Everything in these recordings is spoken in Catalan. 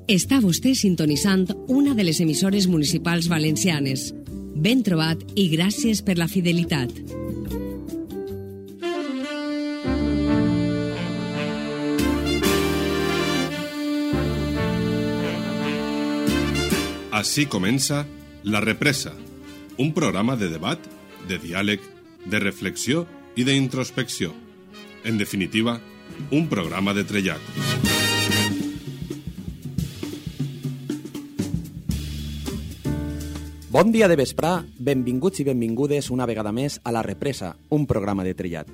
Està vostè sintonitzant una de les emissores municipals valencianes. Ben trobat i gràcies per la fidelitat. Així comença La Represa, un programa de debat, de diàleg, de reflexió i d'introspecció. En definitiva, un programa de trellat. Bon dia de vesprà, benvinguts i benvingudes una vegada més a La Represa, un programa de trellat.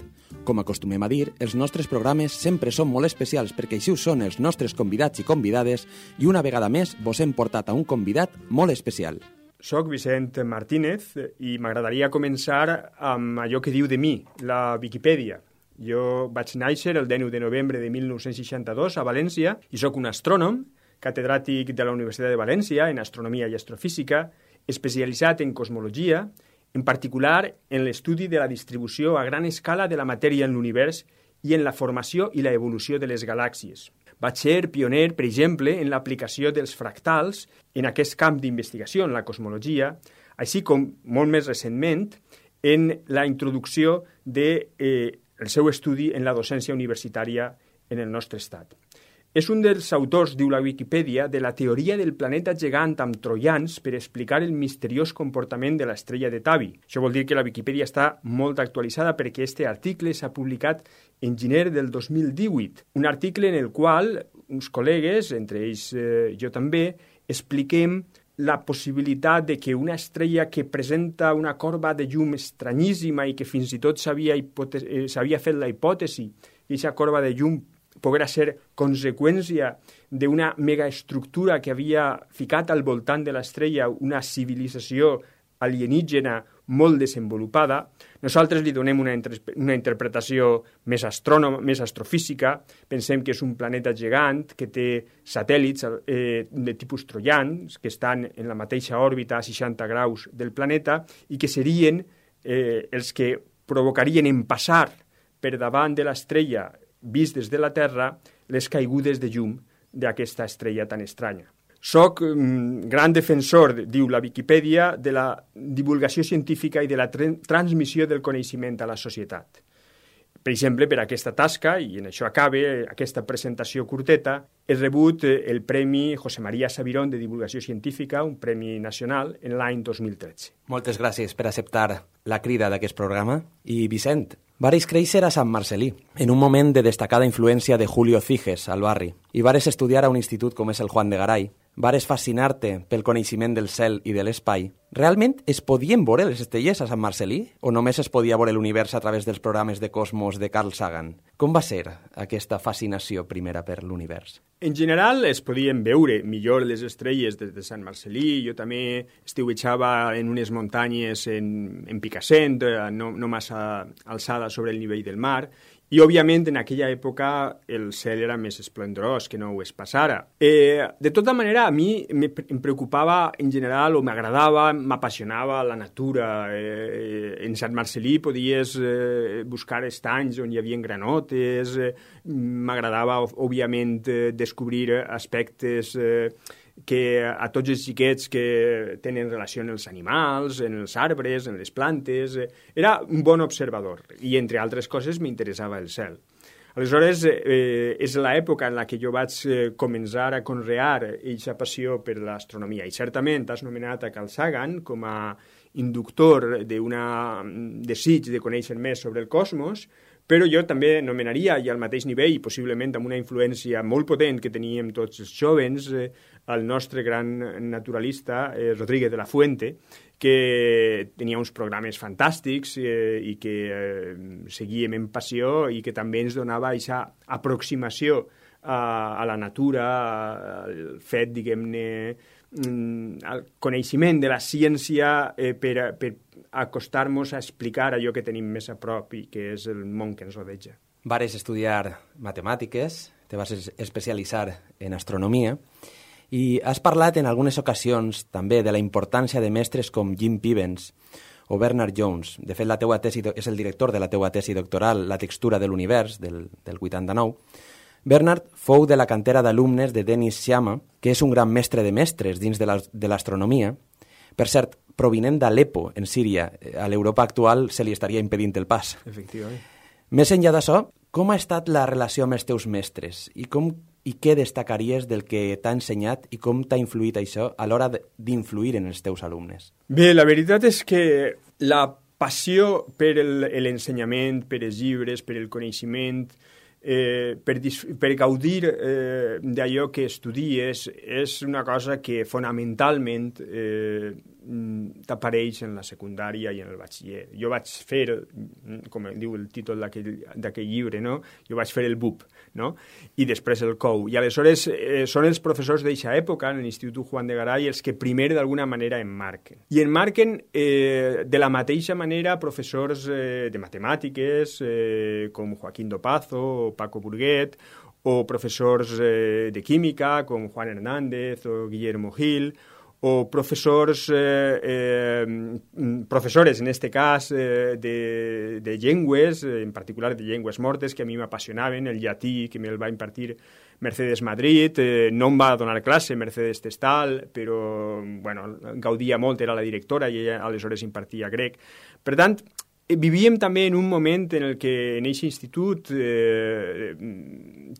Com acostumem a dir, els nostres programes sempre són molt especials perquè així ho són els nostres convidats i convidades i una vegada més vos hem portat a un convidat molt especial. Soc Vicent Martínez i m'agradaria començar amb allò que diu de mi, la Viquipèdia. Jo vaig néixer el 19 de novembre de 1962 a València i sóc un astrònom, catedràtic de la Universitat de València en astronomia i astrofísica, especialitzat en cosmologia, en particular en l'estudi de la distribució a gran escala de la matèria en l'univers i en la formació i la evolució de les galàxies. Vaig ser pioner, per exemple, en l'aplicació dels fractals en aquest camp d'investigació, en la cosmologia, així com, molt més recentment, en la introducció del seu estudi en la docència universitària en el nostre estat. És un dels autors, diu la Viquipèdia, de la teoria del planeta gegant amb troians per explicar el misteriós comportament de l'estrella de Tabi. Això vol dir que la Viquipèdia està molt actualitzada perquè aquest article s'ha publicat en gener del 2018. Un article en el qual uns col·legues, entre ells jo també, expliquem la possibilitat de que una estrella que presenta una corba de llum estranyíssima i que fins i tot s'havia fet la hipòtesi que aquesta corba de llum poguera ser conseqüència d'una megaestructura que havia ficat al voltant de l'estrella una civilització alienígena molt desenvolupada. Nosaltres li donem una interpretació més astrofísica. Pensem que és un planeta gegant que té satèl·lits de tipus troians que estan en la mateixa òrbita a 60 graus del planeta i que serien els que provocarien en passar per davant de l'estrella vist des de la Terra les caigudes de llum d'aquesta estrella tan estranya. Soc gran defensor, diu la Viquipèdia, de la divulgació científica i de la transmissió del coneixement a la societat. Per exemple, per aquesta tasca, i en això acabe aquesta presentació curteta, he rebut el Premi José María Sabirón de Divulgació Científica, un premi nacional, en l'any 2013. Moltes gràcies per acceptar la crida d'aquest programa. I Vicent, vares créixer a Sant Marcelí, en un moment de destacada influència de Julio Ciges al barri, i vares estudiar a un institut com és el Juan de Garay, vares fascinar-te pel coneixement del cel i de l'espai. Realment es podien veure les estrelles a Sant Marcelí o només es podia veure l'univers a través dels programes de cosmos de Carl Sagan? Com va ser aquesta fascinació primera per l'univers? En general es podien veure millor les estrelles des de Sant Marcelí. Jo també estiuetjava en unes muntanyes en Picassent, no massa alçada sobre el nivell del mar, i, òbviament, en aquella època el cel era més esplendorós que no ho és pas ara. De tota manera, a mi em preocupava en general, o m'agradava, m'apassionava la natura. En Sant Marcelí podies buscar estanys on hi havia granotes, m'agradava, òbviament, descobrir aspectes que a tots els xiquets que tenen relació amb els animals, en els arbres, en les plantes. Era un bon observador i, entre altres coses, m'interessava el cel. Aleshores, és l'època en la que jo vaig començar a conrear aquesta passió per l'astronomia. I certament has nomenat a Carl Sagan com a inductor d'un desig de conèixer més sobre el cosmos, però jo també nomenaria, i al mateix nivell, i possiblement amb una influència molt potent que teníem tots els jóvens, el nostre gran naturalista, Rodríguez de la Fuente, que tenia uns programes fantàstics i que seguíem en passió i que també ens donava aquesta aproximació a la natura, al fet, diguem-ne, al coneixement de la ciència per acostar-nos a explicar allò que tenim més a prop i que és el món que ens rodeja. Vares estudiar matemàtiques, te vas especialitzar en astronomia i has parlat en algunes ocasions també de la importància de mestres com Jim Pivens o Bernard Jones. De fet, la teua tesi és el director de la teua tesi doctoral, La textura de l'univers, del 89. Bernard fou de la cantera d'alumnes de Denis Sciama, que és un gran mestre de mestres dins de l'astronomia. Per cert, provinent d'Alepo, en Síria, a l'Europa actual se li estaria impedint el pas. Efectivament. Més enllà d'això, com ha estat la relació amb els teus mestres? I què destacaries del que t'ha ensenyat i com t'ha influït això a l'hora d'influir en els teus alumnes? Bé, la veritat és que la passió per l'ensenyament, per els llibres, per el coneixement, per gaudir d'allò que estudies és una cosa que fonamentalment t'apareix en la secundària i en el batxiller. Jo vaig fer, com diu el títol d'aquell llibre, no? Jo vaig fer el BUP, no? I després el COU. I aleshores són els professors d'eixa època, en l'Institut Juan de Garay, els que primer d'alguna manera emmarquen. I emmarquen de la mateixa manera professors de matemàtiques com Joaquín Dopazo o Paco Burguet, o professors de química com Juan Hernández o Guillermo Gil, o professores, en este cas, de llengües, en particular de llengües mortes, que a mi m'apassionaven, el llatí, que me'l va impartir Mercedes Madrid, no em va donar classe Mercedes Testal, però bueno, gaudia molt, era la directora, i ella aleshores impartia grec. Per tant, vivíem també en un moment en el que en aquest institut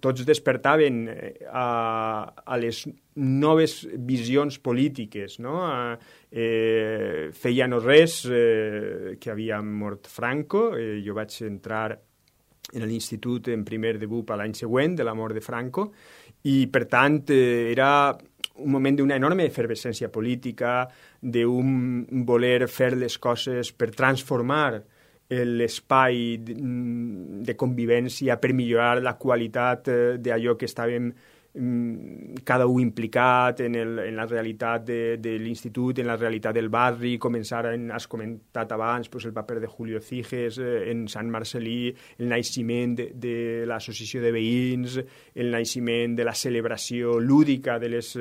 tots despertaven a les noves visions polítiques, no? Feia no res que havia mort Franco. Jo vaig entrar en l'institut en primer de BUP l'any següent de la mort de Franco i, per tant, era un moment d'una enorme efervescència política, d'un voler fer les coses per transformar l'espai de convivència, per millorar la qualitat d'allò que estàvem cada un implicat en la realitat de l'institut, en la realitat del barri. Començar, has comentat abans, el paper de Julio Ciges en Sant Marcel·lí, el naixement de l'associació de veïns, el naixement de la celebració lúdica de les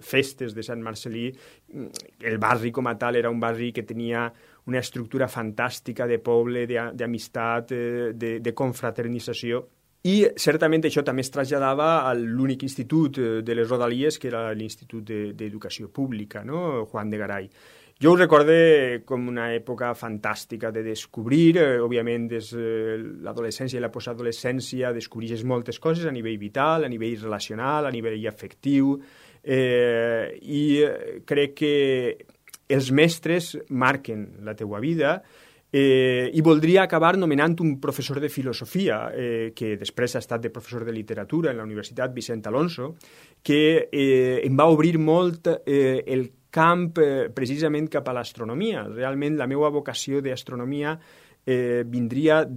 festes de Sant Marcel·lí. El barri com a tal era un barri que tenia una estructura fantàstica de poble, d'amistat, de confraternització. I certament això també es traslladava a l'únic institut de les Rodalies, que era l'Institut d'Educació Pública, no? Juan de Garay. Jo ho recorde com una època fantàstica de descobrir, òbviament des l'adolescència i la postadolescència descobreixes moltes coses a nivell vital, a nivell relacional, a nivell afectiu, i crec que els mestres marquen la teua vida, i voldria acabar nomenant un professor de filosofia, que després ha estat de professor de literatura en la Universitat Vicent Alonso, que em va obrir molt el camp precisament cap a l'astronomia. Realment la meva vocació d'astronomia vindria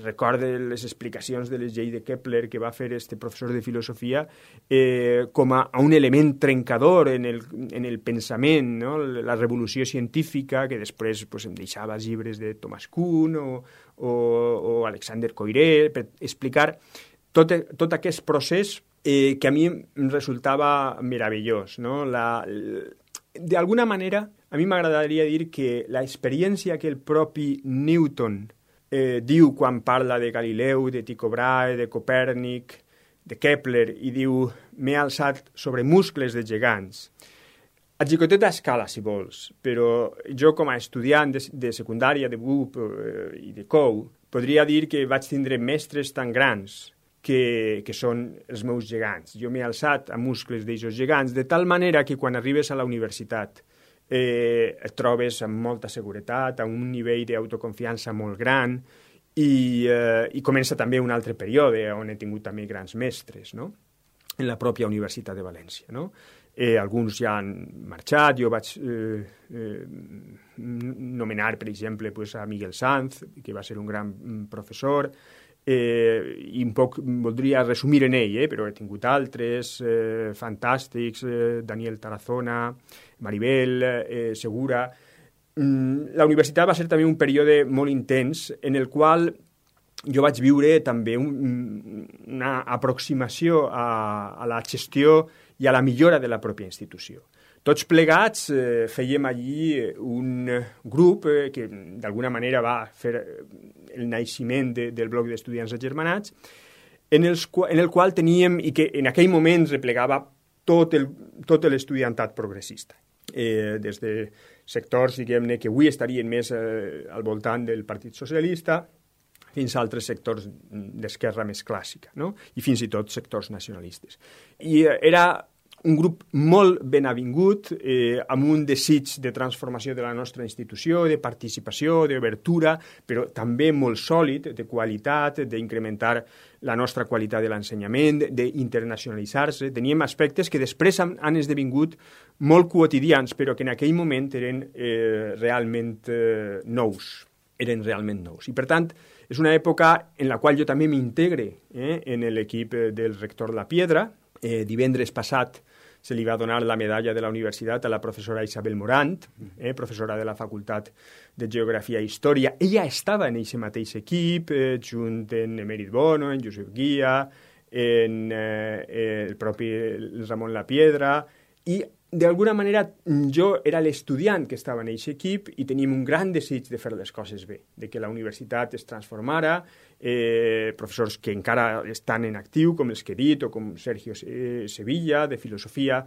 recordo les explicacions de les lleis de Kepler que va fer este professor de filosofia com a un element trencador en el pensament, no? La revolució científica, que després em deixava llibres de Thomas Kuhn o Alexander Coiré per explicar tot aquest procés que a mi em resultava meravellós, no? D'alguna manera, a mi m'agradaria dir que l'experiència que el propi Newton diu quan parla de Galileu, de Tycho Brahe, de Copèrnic, de Kepler, i diu «m'he alçat sobre muscles de gegants». A xicoteta escala, si vols, però jo com a estudiant de secundària, de BUP i de COU, podria dir que vaig tindre mestres tan grans que són els meus gegants. Jo m'he alçat a muscles d'aixos gegants, de tal manera que quan arribes a la universitat et trobes amb molta seguretat, a un nivell d'autoconfiança molt gran, i comença també un altre període on he tingut també grans mestres, no? En la pròpia Universitat de València, no? Alguns ja han marxat. Jo vaig nomenar, per exemple, a Miguel Sanz, que va ser un gran professor, i un poc voldria resumir en ell, però he tingut altres fantàstics, Daniel Tarazona, Maribel, Segura. La universitat va ser també un període molt intens en el qual jo vaig viure també una aproximació a la gestió i a la millora de la pròpia institució. Tots plegats fèiem allí un grup que d'alguna manera va fer el naixement del bloc d'estudiants agermanats, en el qual teníem, i que en aquell moment replegava tot l'estudiantat progressista, des de sectors, diguem-ne, que avui estarien més al voltant del Partit Socialista, fins a altres sectors d'esquerra més clàssica, no? I fins i tot sectors nacionalistes. I era un grup molt ben avingut, amb un desig de transformació de la nostra institució, de participació, d'obertura, però també molt sòlid, de qualitat, d'incrementar la nostra qualitat de l'ensenyament, d'internacionalitzar-se. Teníem aspectes que després han esdevingut molt quotidians, però que en aquell moment eren realment nous. Eren realment nous. I, per tant, és una època en la qual jo també m'integre en l'equip del rector La Piedra. Divendres passat se li va donar la medalla de la universitat a la professora Isabel Morant, professora de la Facultat de Geografia i Història. Ella estava en aquest mateix equip, junt amb Emèrit Bono, en Josep Guia, en el propi Ramon La Piedra, i d'alguna manera jo era l'estudiant que estava en aquest equip i teníem un gran desig de fer les coses bé, de que la universitat es transformara, professors que encara estan en actiu, com els que he dit, o com Sergio Sevilla, de Filosofia,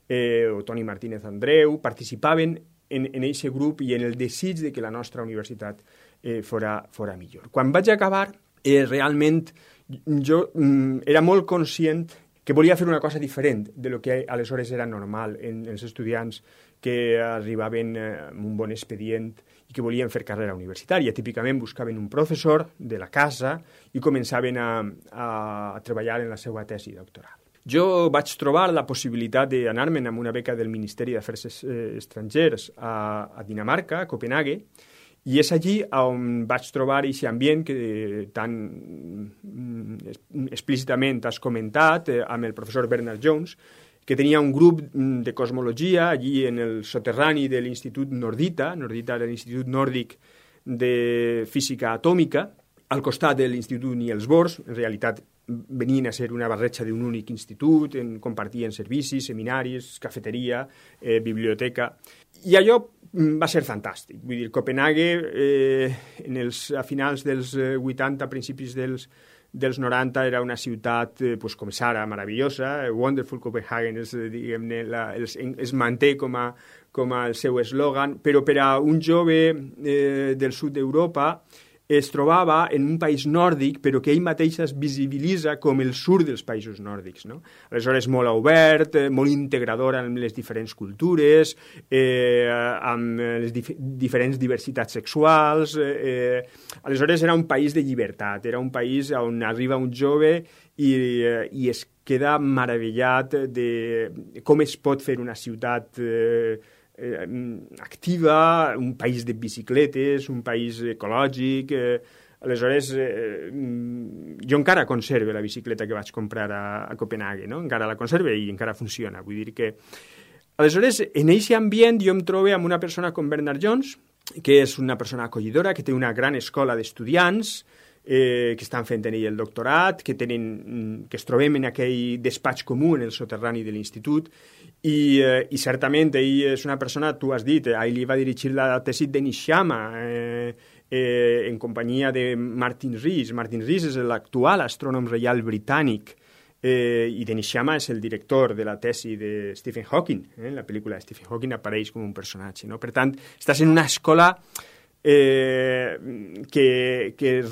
o Toni Martínez Andreu, participaven en aquest grup i en el desig de que la nostra universitat fora millor. Quan vaig acabar, realment jo era molt conscient que volia fer una cosa diferent de lo que aleshores era normal en els estudiants que arribaven amb un bon expedient i que volien fer carrera universitària. Típicament buscaven un professor de la casa i començaven a treballar en la seva tesi doctoral. Jo vaig trobar la possibilitat d'anar-me'n amb una beca del Ministeri d'Afers Estrangers a Dinamarca, a Copenhague, i és allí on vaig trobar aquest ambient que tan explícitament has comentat amb el professor Bernard Jones, que tenia un grup de cosmologia allí en el soterrani de l'Institut Nordita. Nordita era l'Institut Nòrdic de Física Atòmica, al costat de l'Institut Niels Bohr. En realitat venien a ser una barreja d'un únic institut, compartien servicis, seminaris, cafeteria, biblioteca, i allò va ser fantàstic. Vull dir, Copenhague, a finals dels 80, principis dels 90, era una ciutat, com és ara, meravellosa. Wonderful Copenhagen diguem-ne, es manté com a el seu eslògan, però per a un jove del sud d'Europa es trobava en un país nòrdic, però que ell mateix es visibilitza com el sud dels països nòrdics, no? Aleshores, molt obert, molt integrador amb les diferents cultures, amb les diferents diversitats sexuals. Aleshores, era un país de llibertat, era un país on arriba un jove i es queda meravellat de com es pot fer una ciutat activa, un país de bicicletes, un país ecològic. Aleshores, jo encara conserve la bicicleta que vaig comprar a Copenhague, no? Encara la conserve i encara funciona. Vull dir que... Aleshores, en aquest ambient jo em trobo amb una persona com Bernard Jones, que és una persona acollidora, que té una gran escola d'estudiants, que estan fent en ell el doctorat, que es trobem en aquell despatx comú en el soterrani de l'institut, i certament ell és una persona, tu has dit, ell li va dirigir la tesi de Nishiyama en companyia de Martin Rees. Martin Rees és l'actual astrònom reial britànic, i de Nishiyama és el director de la tesi de Stephen Hawking. La pel·lícula de Stephen Hawking apareix com un personatge, no? Per tant, estàs en una escola que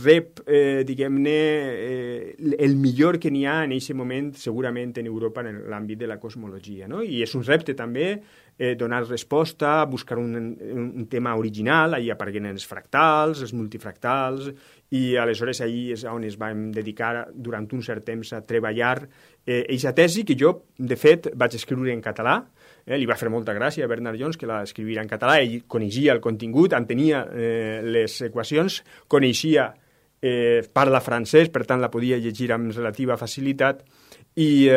rep, diguem-ne, el millor que n'hi ha en aquest moment, segurament en Europa, en l'àmbit de la cosmologia, no? I és un repte també donar resposta, buscar un tema original. Ahí apareguen els fractals, els multifractals, i aleshores ahí és on es vam dedicar durant un cert temps a treballar aquesta tesi, que jo, de fet, vaig escriure en català. Li va fer molta gràcia a Bernard Jones que la escrivira en català. Ell coneixia el contingut, entenia les equacions, coneixia, parla francès, per tant la podia llegir amb relativa facilitat, i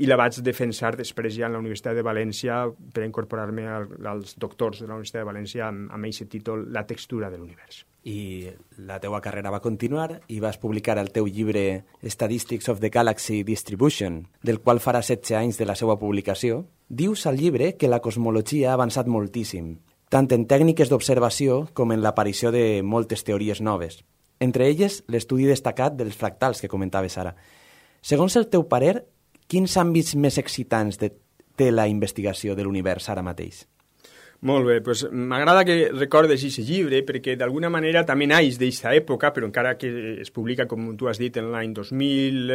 la vaig defensar després ja en la Universitat de València per incorporar-me als doctors de la Universitat de València amb aquest títol, La textura de l'univers. I la teua carrera va continuar i vas publicar el teu llibre Statistics of the Galaxy Distribution, del qual farà 16 anys de la seva publicació. Dius al llibre que la cosmologia ha avançat moltíssim, tant en tècniques d'observació com en l'aparició de moltes teories noves. Entre elles, l'estudi destacat dels fractals que comentaves ara. Segons el teu parer, quins àmbits més excitants té la investigació de l'univers ara mateix? Molt bé, doncs m'agrada que recordes aquest llibre perquè d'alguna manera també naix d'aquesta època, però encara que es publica, com tu has dit, en l'any 2000.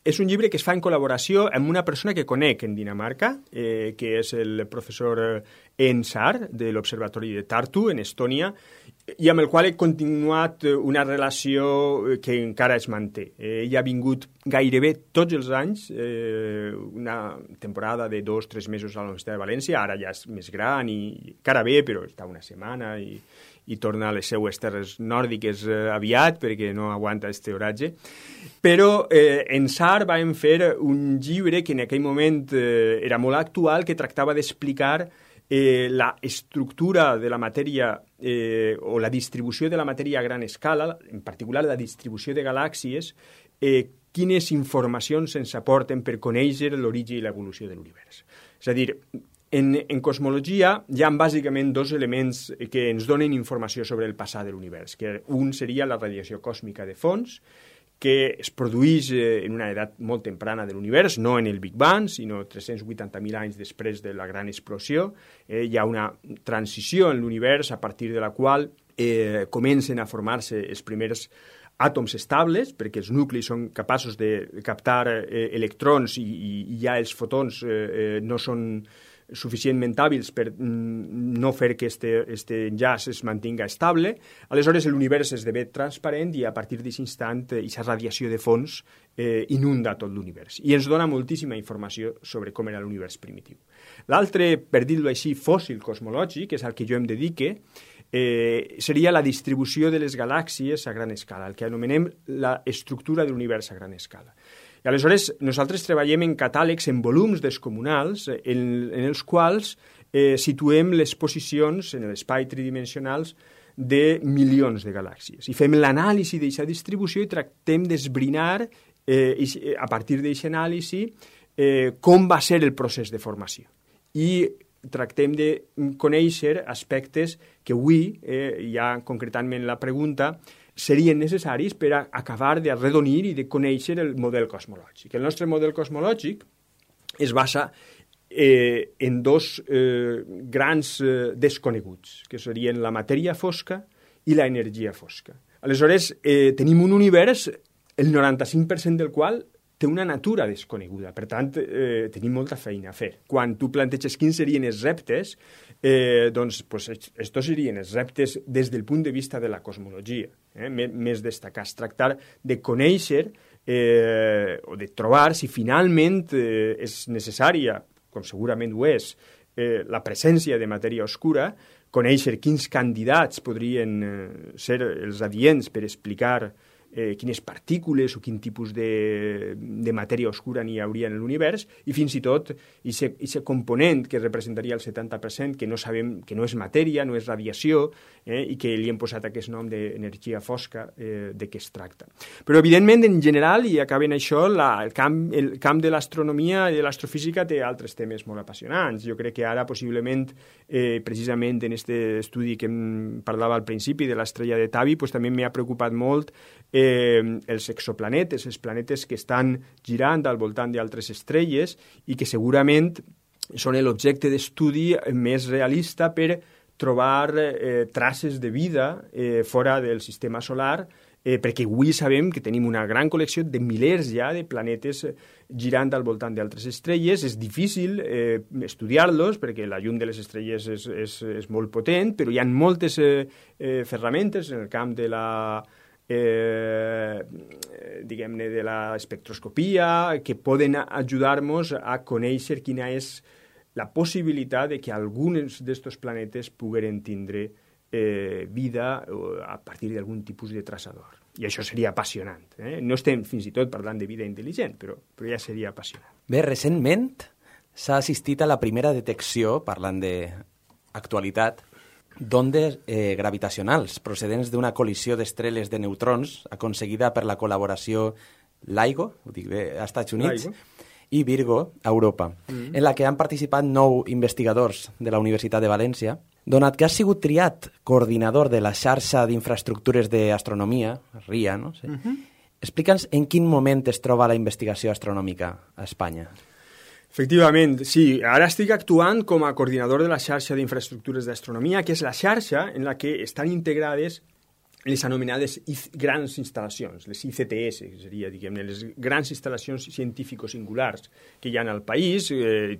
És un llibre que es fa en col·laboració amb una persona que conec en Dinamarca, que és el professor Ensar, de l'Observatori de Tartu, en Estònia, i amb el qual he continuat una relació que encara es manté. Ell ha vingut gairebé tots els anys, una temporada de 2 o 3 mesos a la Universitat de València, ara ja és més gran i encara ve, però està una setmana i torna a les seues terres nòrdiques aviat perquè no aguanta este oratge. Però en SAR vam fer un llibre que en aquell moment era molt actual, que tractava d'explicar la estructura de la matèria o la distribució de la matèria a gran escala, en particular la distribució de galàxies, quines informacions ens aporten per conèixer l'origen i l'evolució de l'univers. És a dir, en cosmologia hi ha bàsicament 2 elements que ens donen informació sobre el passat de l'univers, que un seria la radiació còsmica de fons, que es produeix en una edat molt temprana de l'univers, no en el Big Bang, sinó 380.000 anys després de la gran explosió. Hi ha una transició en l'univers a partir de la qual comencen a formar-se els primers àtoms estables, perquè els nuclis són capaços de captar electrons i ja els fotons no són suficientment hàbils per no fer que este enllaç es mantinga estable. Aleshores l'univers esdevé transparent i a partir d'aquest instant aquesta radiació de fons inunda tot l'univers i ens dona moltíssima informació sobre com era l'univers primitiu. L'altre, per dir-ho així, fòssil cosmològic, és al que jo em dedique, seria la distribució de les galàxies a gran escala, el que anomenem l'estructura de l'univers a gran escala. I aleshores nosaltres treballem en catàlegs, en volums descomunals, en els quals situem les posicions en l'espai tridimensionals de milions de galàxies. I fem l'anàlisi d'aquesta distribució i tractem d'esbrinar, a partir d'aquesta anàlisi, com va ser el procés de formació. I tractem de conèixer aspectes que avui, ja concretament la pregunta, serien necessaris per a acabar d'arredonir i de conèixer el model cosmològic. El nostre model cosmològic es basa en 2 grans desconeguts, que serien la matèria fosca i l'energia fosca. Aleshores, tenim un univers, el 95% del qual té una natura desconeguda. Per tant, tenim molta feina a fer. Quan tu planteges quins serien els reptes, doncs estos serien els reptes des del punt de vista de la cosmologia, més destacats. Tractar de conèixer o de trobar si finalment és necessària, com segurament ho és, la presència de matèria oscura, conèixer quins candidats podrien ser els adients per explicar quines partícules o quin tipus de matèria oscura n'hi hauria en l'univers, i fins i tot aquest component que representaria el 70%, que no sabem, que no és matèria, no és radiació, i que li hem posat aquest nom d'energia fosca, de què es tracta. Però, evidentment, en general, i acabant això, el camp de l'astronomia i de l'astrofísica té altres temes molt apassionants. Jo crec que ara, possiblement, precisament en aquest estudi que em parlava al principi de l'estrella de Tabi, també m'ha preocupat molt els exoplanetes, els planetes que estan girant al voltant d'altres estrelles i que segurament són l'objecte d'estudi més realista per trobar traces de vida fora del sistema solar, perquè avui sabem que tenim una gran col·lecció de milers ja de planetes girant al voltant d'altres estrelles. És difícil estudiar-los perquè la llum de les estrelles és molt potent, però hi ha moltes ferramentes en el camp de la diguem-ne, de l'espectroscopia, que poden ajudar-nos a conèixer quina és la possibilitat de que alguns d'aquests planetes pogueren tindre vida a partir d'algun tipus de traçador. I això seria apassionant. No estem fins i tot parlant de vida intel·ligent, però ja seria apassionant. Bé, recentment s'ha assistit a la primera detecció, parlant d'actualitat, d'ondes gravitacionals procedents d'una col·lisió d'estrelles de neutrons aconseguida per la col·laboració LIGO, ho dic bé, als Estats Units, i Virgo, a Europa, en la que han participat 9 investigadors de la Universitat de València. Donat que has sigut triat coordinador de la xarxa d'infraestructures d'astronomia, RIA, no sé, Explica'ns en quin moment es troba la investigació astronòmica a Espanya. Efectivament, sí. Ara estic actuant com a coordinador de la xarxa d'infraestructures d'astronomia, que és la xarxa en la que estan integrades les anomenades grans instal·lacions, les ICTS, que seria, diguem-ne, les grans instal·lacions científico-singulars que hi ha al país.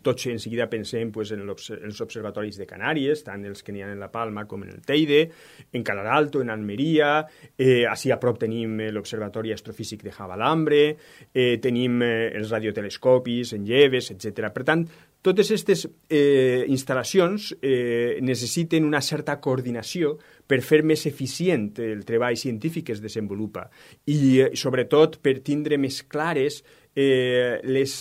Tots en seguida pensem pues, en els observatoris de Canàries, tant els que n'hi ha en La Palma com en el Teide, en Calaralto, en Almeria, així a prop tenim l'Observatori Astrofísic de Javalambre, tenim els radiotelescopis en Lleves, etc. Per tant, totes aquestes instal·lacions necessiten una certa coordinació per fer més eficient el treball científic que es desenvolupa i, sobretot, per tindre més clares les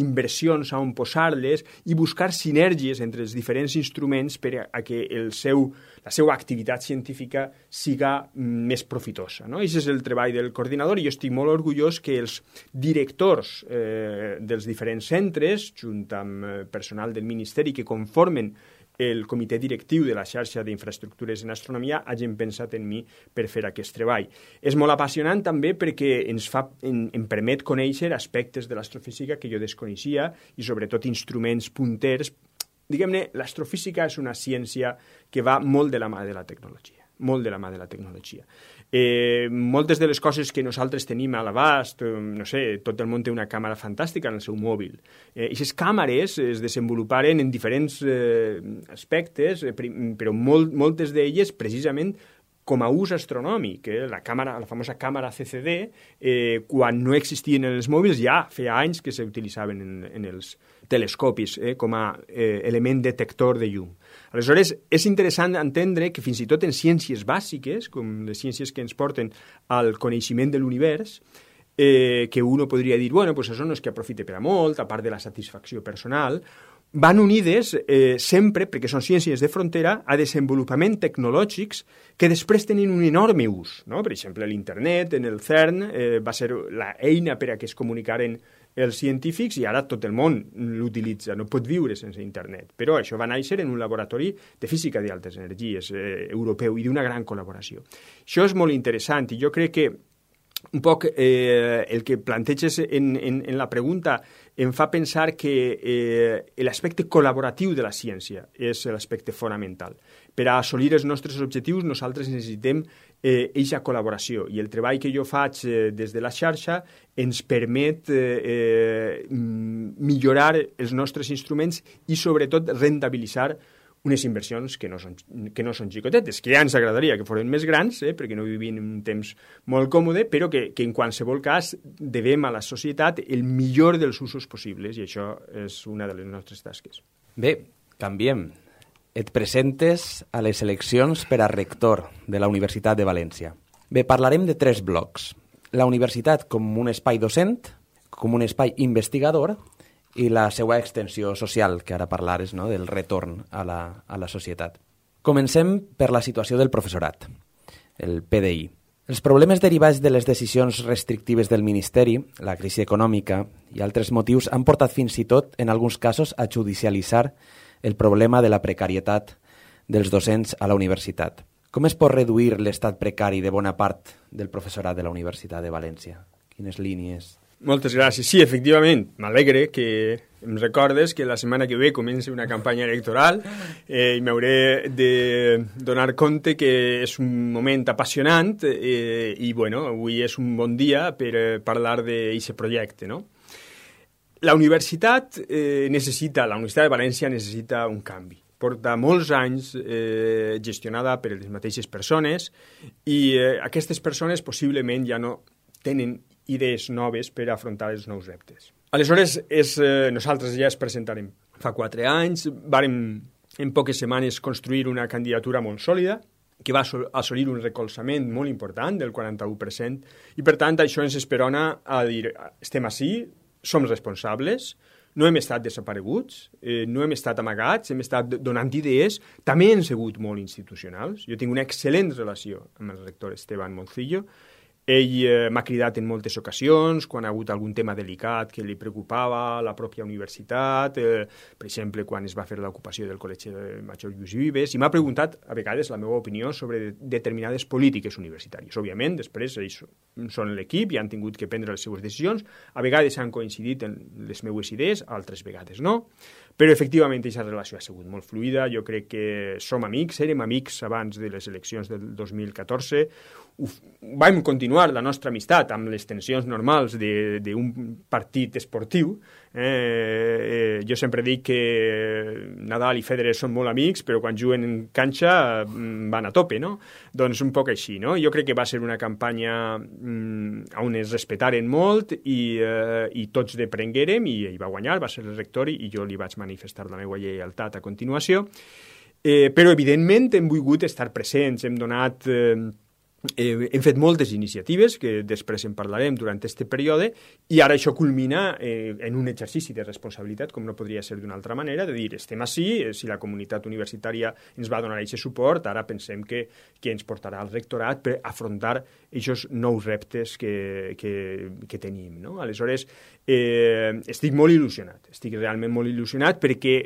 inversions on posar-les i buscar sinergies entre els diferents instruments per a que la seva activitat científica siga més profitosa. No? Aquest és el treball del coordinador i jo estic molt orgullós que els directors dels diferents centres, junt amb personal del Ministeri que conformen el comitè directiu de la xarxa d'infraestructures en astronomia hagin pensat en mi per fer aquest treball. És molt apassionant també perquè em permet conèixer aspectes de l'astrofísica que jo desconeixia i sobretot instruments punters. Diguem-ne, l'astrofísica és una ciència que va molt de la mà de la tecnologia, molt de la mà de la tecnologia. Moltes de les coses que nosaltres tenim a l'abast, no sé, tot el món té una càmera fantàstica en el seu mòbil. Aquestes càmeres es desenvoluparen en diferents aspectes, però moltes d'elles precisament com a ús astronòmic. La famosa càmera CCD, quan no existien en els mòbils, ja feia anys que s'utilitzaven en els telescopis com a element detector de llum. Aleshores, és interessant entendre que fins i tot en ciències bàsiques, com les ciències que ens porten al coneixement de l'univers, que uno podria dir, bueno, pues això no és que aprofite per a molt, a part de la satisfacció personal, van unides sempre, perquè són ciències de frontera, a desenvolupament tecnològics que després tenen un enorme ús. No? Per exemple, l'internet, en el CERN, va ser l'eina per a que es comunicaren els científics i ara tot el món l'utilitza, no pot viure sense internet. Però això va néixer en un laboratori de física d'altes energies europeu i d'una gran col·laboració. Això és molt interessant i jo crec que un poc el que planteges en la pregunta em fa pensar que l'aspecte col·laboratiu de la ciència és l'aspecte fonamental. Per a assolir els nostres objectius nosaltres necessitem eixa col·laboració i el treball que jo faig des de la xarxa ens permet millorar els nostres instruments i sobretot rentabilitzar unes inversions que no són xicotetes, que ja ens agradaria que foren més grans, perquè no vivim en un temps molt còmode, però que en qualsevol cas devem a la societat el millor dels usos possibles, i això és una de les nostres tasques. Bé, canviem. Et presentes a les eleccions per a rector de la Universitat de València. Bé, parlarem de 3 blocs. La universitat com un espai docent, com un espai investigador i la seva extensió social, que ara parlares, no?, del retorn a la societat. Comencem per la situació del professorat, el PDI. Els problemes derivats de les decisions restrictives del Ministeri, la crisi econòmica i altres motius han portat fins i tot, en alguns casos, a judicialitzar el problema de la precarietat dels docents a la universitat. Com es pot reduir l'estat precari de bona part del professorat de la Universitat de València? Quines línies? Moltes gràcies. Sí, efectivament, m'alegre que em recordes que la setmana que ve comença una campanya electoral i m'hauré de donar compte que és un moment apassionant i, bueno, avui és un bon dia per parlar d'aquest projecte, no? La Universitat la Universitat de València necessita un canvi. Porta molts anys gestionada per les mateixes persones i aquestes persones possiblement ja no tenen idees noves per afrontar els nous reptes. Aleshores, nosaltres ja es presentarem. Fa 4 anys vàrem en poques setmanes construir una candidatura molt sòlida que va assolir un recolzament molt important del 41% i, per tant, això ens esperona a dir estem ací, som responsables, no hem estat desapareguts, no hem estat amagats, hem estat donant idees, també hem sigut molt institucionals. Jo tinc una excel·lent relació amb el rector Esteban Moncillo. Ell m'ha cridat en moltes ocasions, quan ha hagut algun tema delicat que li preocupava la pròpia universitat, per exemple, quan es va fer l'ocupació del Col·legi Major Lluís Vives, i m'ha preguntat a vegades la meva opinió sobre determinades polítiques universitàries. Òbviament, després ells són l'equip i han tingut que prendre les seues decisions, a vegades han coincidit en les meues idees, altres vegades no, però efectivament aquesta relació ha sigut molt fluida. Jo crec que som amics, érem amics abans de les eleccions del 2014, vam continuar la nostra amistat amb les tensions normals d'un partit esportiu. Jo sempre dic que Nadal i Federer són molt amics, però quan juguen en canxa van a tope, no? Doncs un poc així, no? Jo crec que va ser una campanya on es respetaren molt i tots deprenguérem, i ell va guanyar, va ser el rector, i jo li vaig manifestar la meva lleialtat a continuació. Però, evidentment, hem volgut estar presents, hem donat... hem fet moltes iniciatives, que després en parlarem durant aquest període, i ara això culmina en un exercici de responsabilitat, com no podria ser d'una altra manera, de dir, estem ací, si la comunitat universitària ens va donar aquest suport, ara pensem que ens portarà al rectorat per afrontar aquests nous reptes que tenim, no? Aleshores, estic molt il·lusionat, estic realment molt il·lusionat, perquè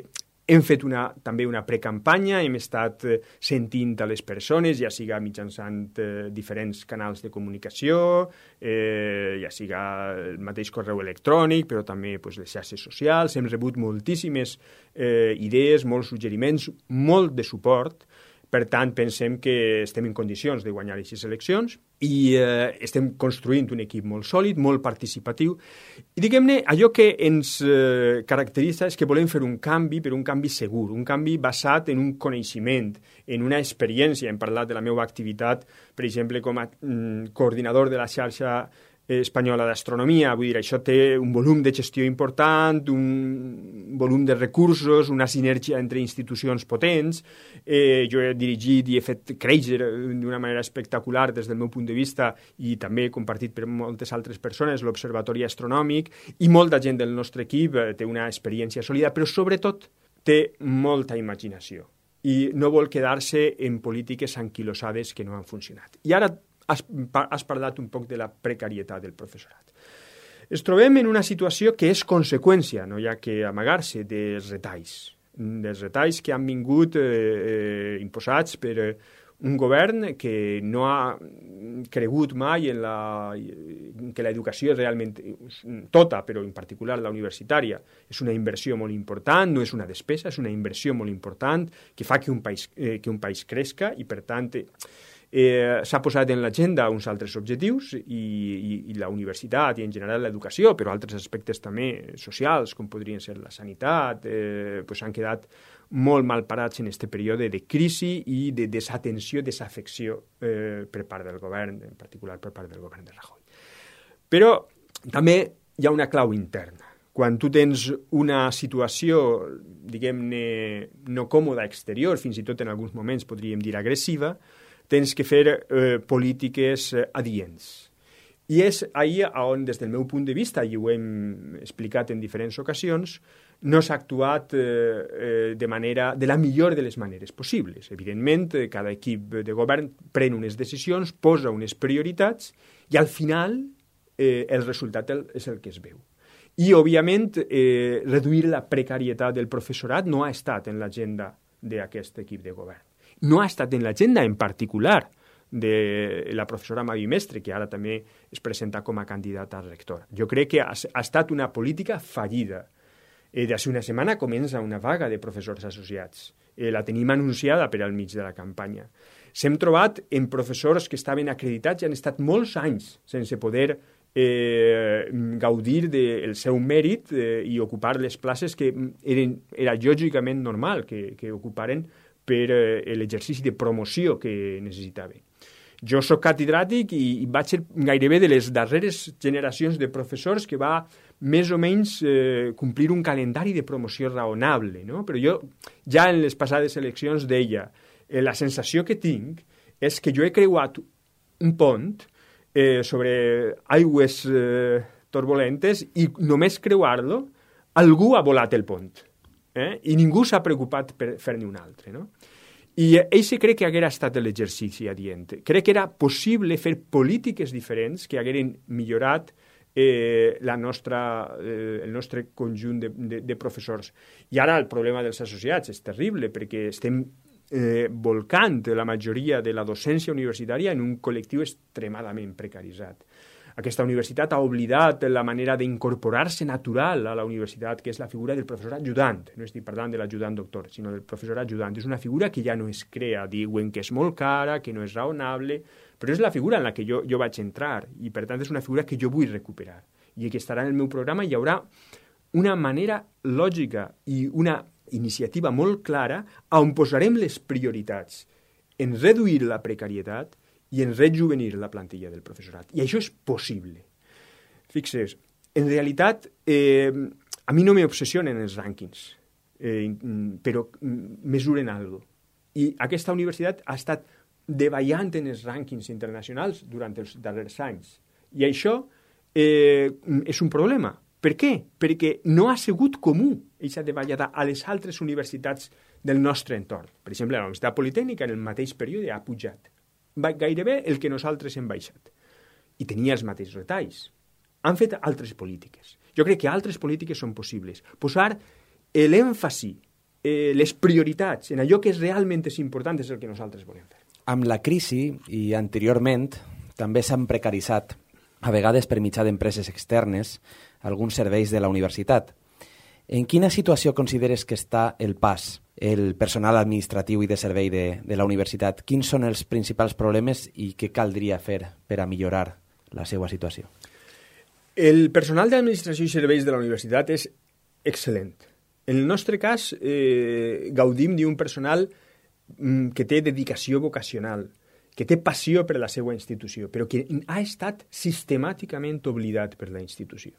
hem fet també una precampanya, hem estat sentint a les persones, ja siga mitjançant diferents canals de comunicació, ja siga el mateix correu electrònic, però també les xarxes socials. Hem rebut moltíssimes idees, molts suggeriments, molt de suport. Per tant, pensem que estem en condicions de guanyar aquestes eleccions i estem construint un equip molt sòlid, molt participatiu. I diguem-ne, allò que ens caracteritza és que volem fer un canvi, però un canvi segur, un canvi basat en un coneixement, en una experiència. Hem parlat de la meva activitat, per exemple, com a coordinador de la xarxa espanyola d'astronomia. Vull dir, això té un volum de gestió important, un volum de recursos, una sinergia entre institucions potents. Jo he dirigit i he fet créixer d'una manera espectacular des del meu punt de vista, i també compartit per moltes altres persones, l'Observatori Astronòmic, i molta gent del nostre equip té una experiència sòlida, però sobretot té molta imaginació i no vol quedar-se en polítiques anquilosades que no han funcionat. I ara has parlat un poc de la precarietat del professorat. Es trobem en una situació que és conseqüència, no hi ha que amagar-se, dels retalls que han vingut imposats per un govern que no ha cregut mai que l'educació realment tota, però en particular la universitària, és una inversió molt important, no és una despesa, és una inversió molt important que fa que un país cresca, i per tant s'ha posat en l'agenda uns altres objectius, i la universitat i en general l'educació, però altres aspectes també socials, com podrien ser la sanitat, han quedat molt mal parats en aquest període de crisi i de desatenció, desafecció per part del govern, en particular per part del govern de Rajoy. Però també hi ha una clau interna. Quan tu tens una situació, diguem-ne, no còmoda exterior, fins i tot en alguns moments podríem dir agressiva, tens que fer polítiques adients. I és ahir on, des del meu punt de vista, i ho hem explicat en diferents ocasions, no s'ha actuat de la millor de les maneres possibles. Evidentment, cada equip de govern pren unes decisions, posa unes prioritats, i al final el resultat és el que es veu. I, òbviament, reduir la precarietat del professorat no ha estat en l'agenda d'aquest equip de govern. No ha estat en l'agenda, en particular, de la professora Mavi Mestre, que ara també es presenta com a candidata a rectora. Jo crec que ha estat una política fallida. D'hace una setmana comença una vaga de professors associats. La tenim anunciada per al mig de la campanya. S'hem trobat en professors que estaven acreditats i han estat molts anys sense poder gaudir del seu mèrit i ocupar les places que era lògicament normal que ocuparen per l'exercici de promoció que necessitaven. Jo soc catedràtic i vaig ser gairebé de les darreres generacions de professors que va més o menys complir un calendari de promoció raonable, no? Però jo ja en les passades eleccions deia la sensació que tinc és que jo he creuat un pont sobre aigües turbolentes i només creuar-lo algú ha volat el pont. I ningú s'ha preocupat per fer-ne un altre, no? I això crec que haguera estat l'exercici adient. Crec que era possible fer polítiques diferents que hagueren millorat el nostre conjunt de professors. I ara el problema dels associats és terrible perquè estem volcant la majoria de la docència universitària en un col·lectiu extremadament precaritzat. Aquesta universitat ha oblidat la manera d'incorporar-se natural a la universitat, que és la figura del professor ajudant. No estic parlant de l'ajudant doctor, sinó del professor ajudant. És una figura que ja no es crea. Diuen que és molt cara, que no és raonable, però és la figura en la que jo vaig entrar i, per tant, és una figura que jo vull recuperar. I que estarà en el meu programa hi haurà una manera lògica i una iniciativa molt clara on posarem les prioritats en reduir la precarietat i en rejuvenir la plantilla del professorat. I això és possible. Fixes, en realitat, a mi no m'obsessionen els rànquings, però mesuren alguna cosa. I aquesta universitat ha estat davallant en els rànquings internacionals durant els darrers anys. I això és un problema. Per què? Perquè no ha sigut comú aquesta davallada a les altres universitats del nostre entorn. Per exemple, la Universitat Politècnica en el mateix període ha pujat gairebé el que nosaltres hem baixat. I tenia els mateixos retalls. Han fet altres polítiques. Jo crec que altres polítiques són possibles. Posar l'èmfasi, les prioritats en allò que realment és important és el que nosaltres volem fer. Amb la crisi i anteriorment també s'han precaritzat, a vegades per mitjà d'empreses externes, alguns serveis de la universitat. En quina situació consideres que està el PAS, el personal administratiu i de servei de la universitat? Quins són els principals problemes i què caldria fer per a millorar la seva situació? El personal d'administració i serveis de la universitat és excel·lent. En el nostre cas, gaudim d'un personal que té dedicació vocacional, que té passió per la seva institució, però que ha estat sistemàticament oblidat per la institució.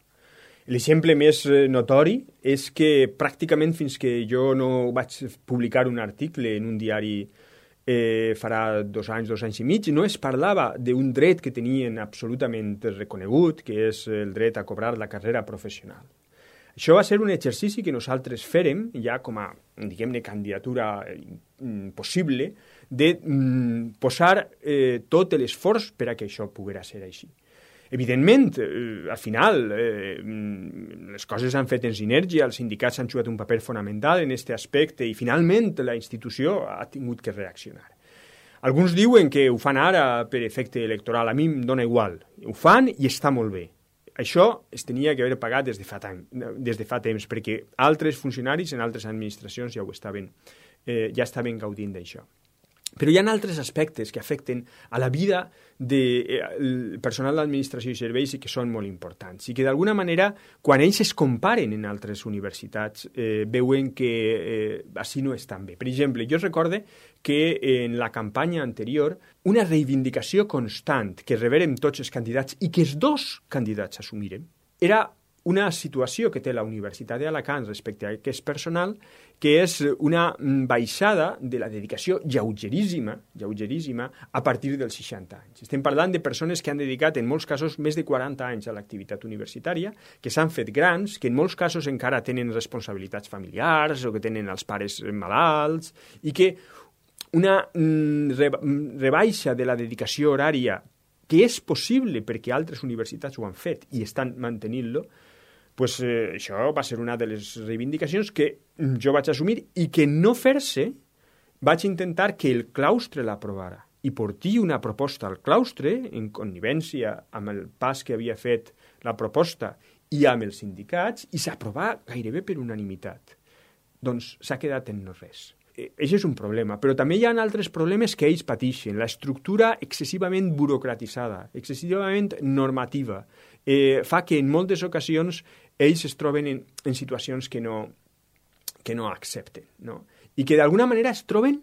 L'exemple més notori és que pràcticament fins que jo no vaig publicar un article en un diari farà 2 anys i mig, no es parlava d'un dret que tenien absolutament reconegut, que és el dret a cobrar la carrera professional. Això va ser un exercici que nosaltres fèrem, ja com a, diguem-ne, candidatura possible, de posar tot l'esforç per a que això poguera ser així. Evidentment, al final, les coses s'han fet en sinergia, els sindicats han jugat un paper fonamental en aquest aspecte i finalment la institució ha tingut que reaccionar. Alguns diuen que ho fan ara per efecte electoral, a mi em dóna igual. Ho fan i està molt bé. Això es tenia que haver pagat des de fa temps, perquè altres funcionaris en altres administracions ja estaven gaudint d'això. Però hi ha altres aspectes que afecten a la vida del personal d'administració i serveis i que són molt importants. I que d'alguna manera, quan ells es comparen en altres universitats, veuen que així no estan bé. Per exemple, jo recorde que en la campanya anterior una reivindicació constant que rebérem tots els candidats i que els 2 candidats assumirem era una situació que té la Universitat d'Alacant respecte a aquest personal, que és una baixada de la dedicació lleugeríssima a partir dels 60 anys. Estem parlant de persones que han dedicat en molts casos més de 40 anys a l'activitat universitària, que s'han fet grans, que en molts casos encara tenen responsabilitats familiars o que tenen els pares malalts i que una rebaixa de la dedicació horària que és possible perquè altres universitats ho han fet i estan mantenint-lo, pues, això va ser una de les reivindicacions que jo vaig assumir i que no fer-se vaig intentar que el claustre l'aprovara i porti una proposta al claustre en connivència amb el PAS que havia fet la proposta i amb els sindicats i s'aprovà gairebé per unanimitat. Doncs s'ha quedat en no res. Això és un problema, però també hi ha altres problemes que ells pateixen. L'estructura excessivament burocratitzada, excessivament normativa, fa que en moltes ocasions ells es troben en situacions que no accepten, no? I que d'alguna manera es troben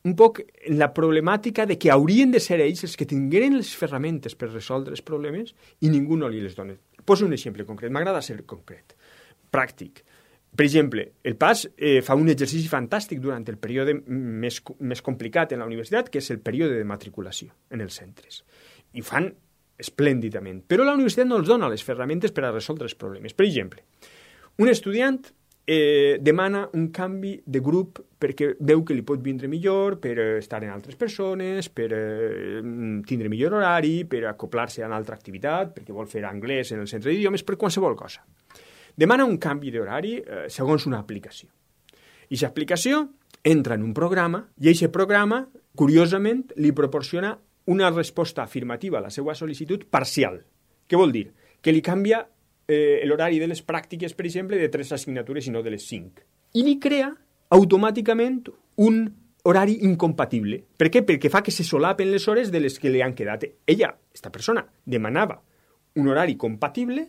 un poc en la problemàtica de que haurien de ser ells els que tingueren les ferramentes per resoldre els problemes i ningú no li les dona. Poso un exemple concret, m'agrada ser concret, pràctic. Per exemple, el PAS fa un exercici fantàstic durant el període més complicat en la universitat, que és el període de matriculació en els centres. I ho fan esplèndidament. Però la universitat no els dona les ferramentes per a resoldre els problemes. Per exemple, un estudiant demana un canvi de grup perquè veu que li pot vindre millor per estar en altres persones, per tindre millor horari, per acoplar-se a una altra activitat, perquè vol fer anglès en el centre d'idiomes, per qualsevol cosa. Demana un canvi d'horari segons una aplicació. I aquesta aplicació entra en un programa i aquest programa, curiosament, li proporciona una resposta afirmativa a la seva sol·licitud parcial. Què vol dir? Que li canvia l'horari de les pràctiques, per exemple, de 3 assignatures i no de les 5. I li crea automàticament un horari incompatible. Per què? Perquè fa que se solapen les hores de les que li han quedat. Ella, aquesta persona, demanava un horari compatible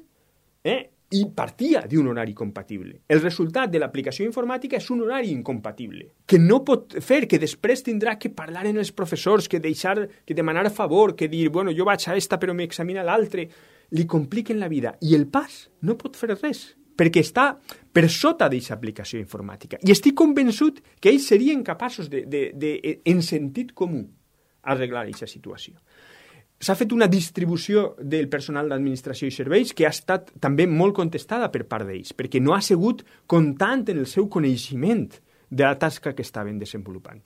i partia d'un horari compatible. El resultat de l'aplicació informàtica és un horari incompatible, que no pot fer, que després tindrà que parlar amb els professors, que demanar a favor, que dir, bueno, jo vaig a esta però m'examina l'altre. Li compliquen la vida. I el pas no pot fer res, perquè està per sota d'aquesta aplicació informàtica. I estic convençut que ells serien capaços en sentit comú, arreglar aquesta situació. S'ha fet una distribució del personal d'administració i serveis que ha estat també molt contestada per part d'ells, perquè no ha sigut comptant en el seu coneixement de la tasca que estaven desenvolupant.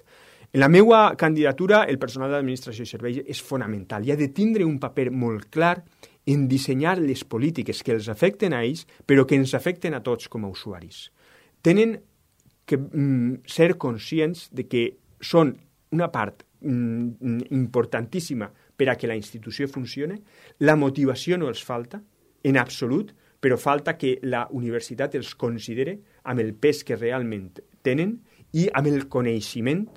En la meva candidatura, el personal d'administració i serveis és fonamental i ha de tindre un paper molt clar en dissenyar les polítiques que els afecten a ells, però que ens afecten a tots com a usuaris. Tenen que ser conscients de que són una part importantíssima per a que la institució funcione. La motivació no els falta, en absolut, però falta que la universitat els considere amb el pes que realment tenen i amb el coneixement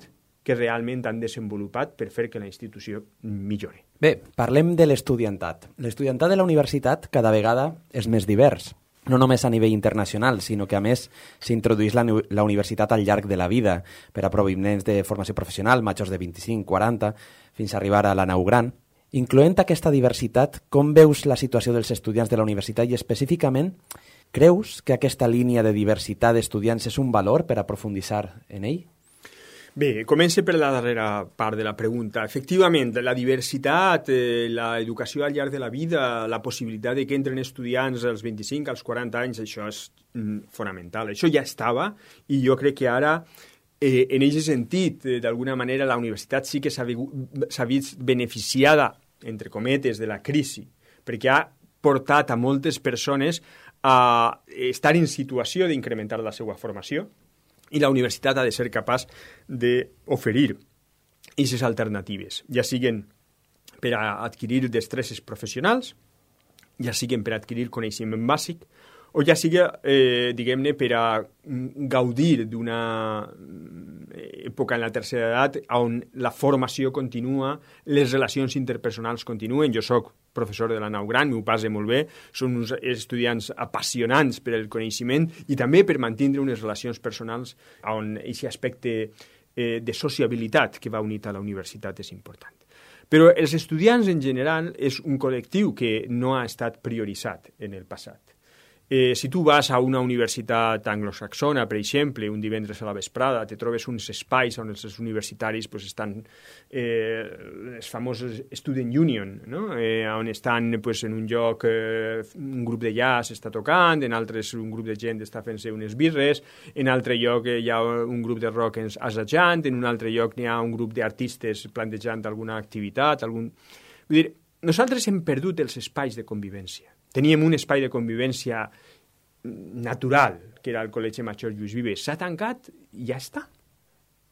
que realment han desenvolupat per fer que la institució millore. Bé, parlem de l'estudiantat. L'estudiantat de la universitat cada vegada és més divers. No només a nivell internacional, sinó que a més s'introdueix la universitat al llarg de la vida per a provinents de formació professional, majors de 25, 40, fins a arribar a la nau gran. Incloent aquesta diversitat, com veus la situació dels estudiants de la universitat i específicament, creus que aquesta línia de diversitat d'estudiants és un valor per a profunditzar en ell? Bé, començo per la darrera part de la pregunta. Efectivament, la diversitat, l'educació al llarg de la vida, la possibilitat de que entren estudiants als 25, als 40 anys, això és fonamental. Això ja estava i jo crec que ara, en aquest sentit, d'alguna manera, la universitat sí que s'ha vist beneficiada, entre cometes, de la crisi, perquè ha portat a moltes persones a estar en situació d'incrementar la seva formació, i la universitat ha de ser capaç d'oferir aquestes alternatives, ja siguen per a adquirir destreses professionals, ja siguen per a adquirir coneixement bàsic, o ja sigui, diguem-ne, per a gaudir d'una època en la tercera edat on la formació continua, les relacions interpersonals continuen. Jo soc professor de la nau gran, m'ho passe molt bé, són uns estudiants apassionants per al coneixement i també per mantenir unes relacions personals on aquest aspecte de sociabilitat que va unit a la universitat és important. Però els estudiants en general és un col·lectiu que no ha estat prioritzat en el passat. Si tu vas a una universitat anglosaxona, per exemple, un divendres a la vesprada, te trobes uns espais on els universitaris estan els famosos Student Union, no? On estan en un lloc un grup de jazz està tocant, en altres un grup de gent està fent-se unes birres, en altre lloc hi ha un grup de rock assajant, en un altre lloc hi ha un grup d'artistes plantejant alguna activitat. Vull dir, nosaltres hem perdut els espais de convivència. Teníem un espai de convivència natural, que era el Col·legi Major Lluís Vives. S'ha tancat i ja està.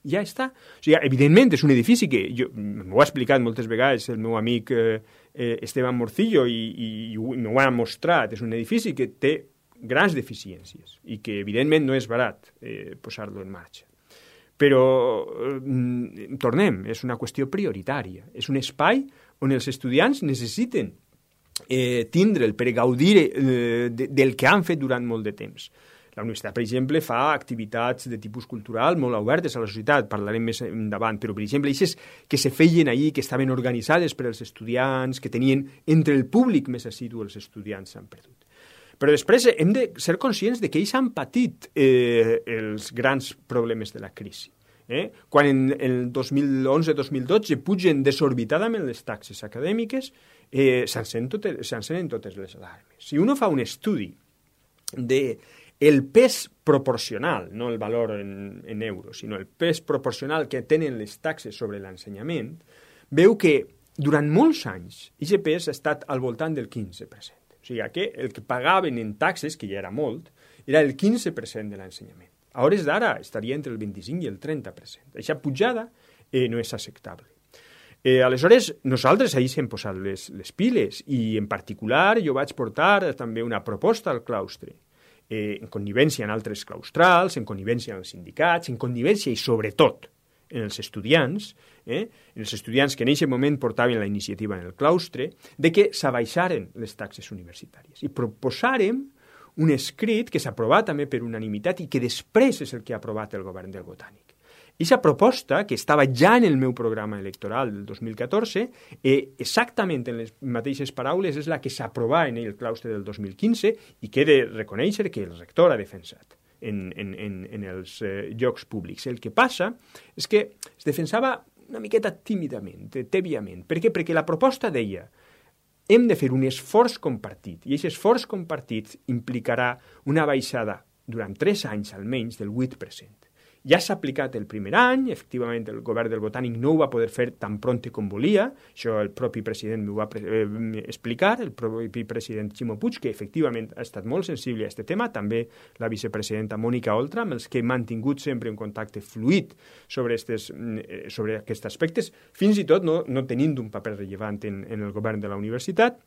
Ja està. O sigui, evidentment, és un edifici que m'ho ha explicat moltes vegades el meu amic Esteban Morcillo i m'ho ha mostrat. És un edifici que té grans deficiències i que, evidentment, no és barat posar-lo en marxa. Però, tornem, és una qüestió prioritària. És un espai on els estudiants necessiten tindre'l per gaudir del que han fet durant molt de temps. La universitat, per exemple, fa activitats de tipus cultural molt obertes a la societat, parlarem més endavant, però, per exemple, aquestes que se feien allí, que estaven organitzades per als estudiants, que tenien entre el públic més assidu els estudiants, s'han perdut. Però després hem de ser conscients de que ells han patit els grans problemes de la crisi. Quan en el 2011-2012 pugen desorbitadament les taxes acadèmiques, s'encenen totes les alarmes. Si uno fa un estudi de el pes proporcional, no el valor en euros, sinó el pes proporcional que tenen les taxes sobre l'ensenyament, veu que durant molts anys aquest pes ha estat al voltant del 15%. O sigui que el que pagaven en taxes, que ja era molt, era el 15% de l'ensenyament. A hores d'ara estaria entre el 25 i el 30%. Aquesta pujada no és acceptable. Aleshores, nosaltres ahir hem posat les piles i, en particular, jo vaig portar també una proposta al claustre, en connivència amb altres claustrals, en connivència amb els sindicats, en connivència i, sobretot, en els estudiants que en aquest moment portaven la iniciativa en el claustre, de que s'abaixaren les taxes universitàries. I proposàrem un escrit que s'ha aprovat també per unanimitat i que després és el que ha aprovat el govern del Botànic. Aquesta proposta, que estava ja en el meu programa electoral del 2014, exactament en les mateixes paraules, és la que s'aprovà en el claustre del 2015 i que he de reconèixer que el rector ha defensat en els llocs públics. El que passa és que es defensava una miqueta tímidament, tèbiament. Per què? Perquè la proposta deia hem de fer un esforç compartit, i aquest esforç compartit implicarà una baixada durant 3 anys almenys del 8%. Ja s'ha aplicat el primer any, efectivament el govern del Botànic no ho va poder fer tan pronte com volia, això el propi president m'ho va explicar, el propi president Ximo Puig, que efectivament ha estat molt sensible a aquest tema, també la vicepresidenta Mònica Oltra, amb els que he mantingut sempre un contacte fluid sobre aquests aspectes, fins i tot no tenint un paper rellevant en el govern de la universitat,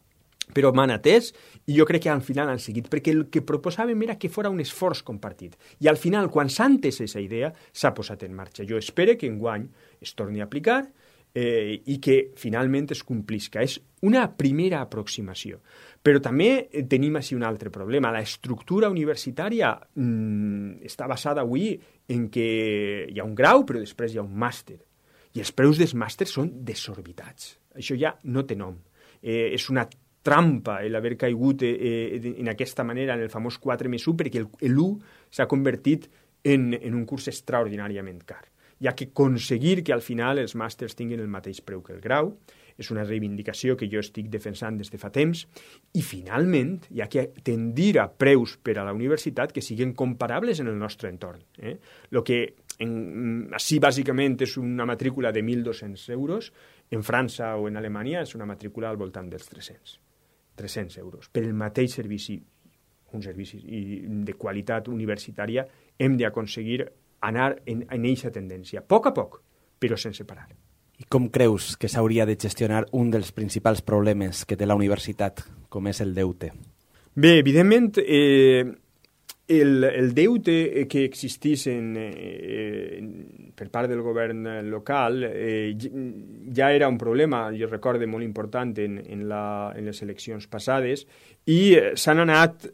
però m'han atès i jo crec que al final han seguit, perquè el que proposàvem era que fos un esforç compartit. I al final, quan s'ha entès aquesta idea, s'ha posat en marxa. Jo espero que enguany es torni a aplicar i que finalment es complisca. És una primera aproximació. Però també tenim així un altre problema. La estructura universitària està basada avui en que hi ha un grau, però després hi ha un màster. I els preus dels màsters són desorbitats. Això ja no té nom. És una trampa l'haver caigut en aquesta manera en el famós 4+1 perquè l'1 s'ha convertit en un curs extraordinàriament car. Hi ha que aconseguir que al final els màsters tinguin el mateix preu que el grau, és una reivindicació que jo estic defensant des de fa temps, i finalment hi ha que tendir a preus per a la universitat que siguin comparables en el nostre entorn. El que així bàsicament és una matrícula de 1.200 euros, en França o en Alemanya és una matrícula al voltant dels 300 euros. Per el mateix servici, un servici de qualitat universitària, hem d'aconseguir anar en aquesta tendència, a poc, però sense parar. I com creus que s'hauria de gestionar un dels principals problemes que té la universitat, com és el deute? Bé, evidentment, el deute que existís per part del govern local ja era un problema, jo recordo, molt important en les eleccions passades, i s'han anat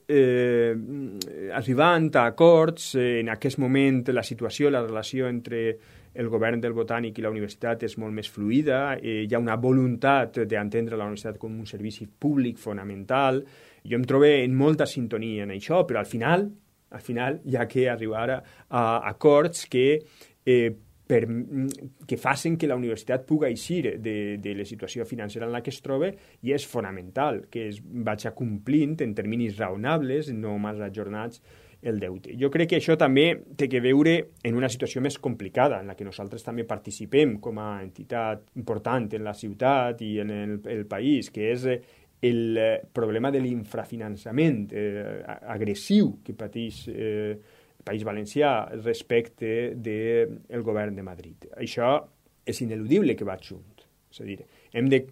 arribant a acords. En aquest moment la situació, la relació entre el govern del Botànic i la universitat és molt més fluida, hi ha una voluntat d'entendre la universitat com un servici públic fonamental. Jo em trobo en molta sintonia en això, però al final hi ha que arribar a acords que facin que la universitat pugui eixir de la situació financera en la que es troba, i és fonamental que es vagi complint en terminis raonables, no massa ajornats, el deute. Jo crec que això també té que veure en una situació més complicada, en la que nosaltres també participem com a entitat important en la ciutat i en el país, que és el problema de l'infrafinançament agressiu que pateix el País Valencià respecte del govern de Madrid. Això és ineludible que va junt. És a dir, hem de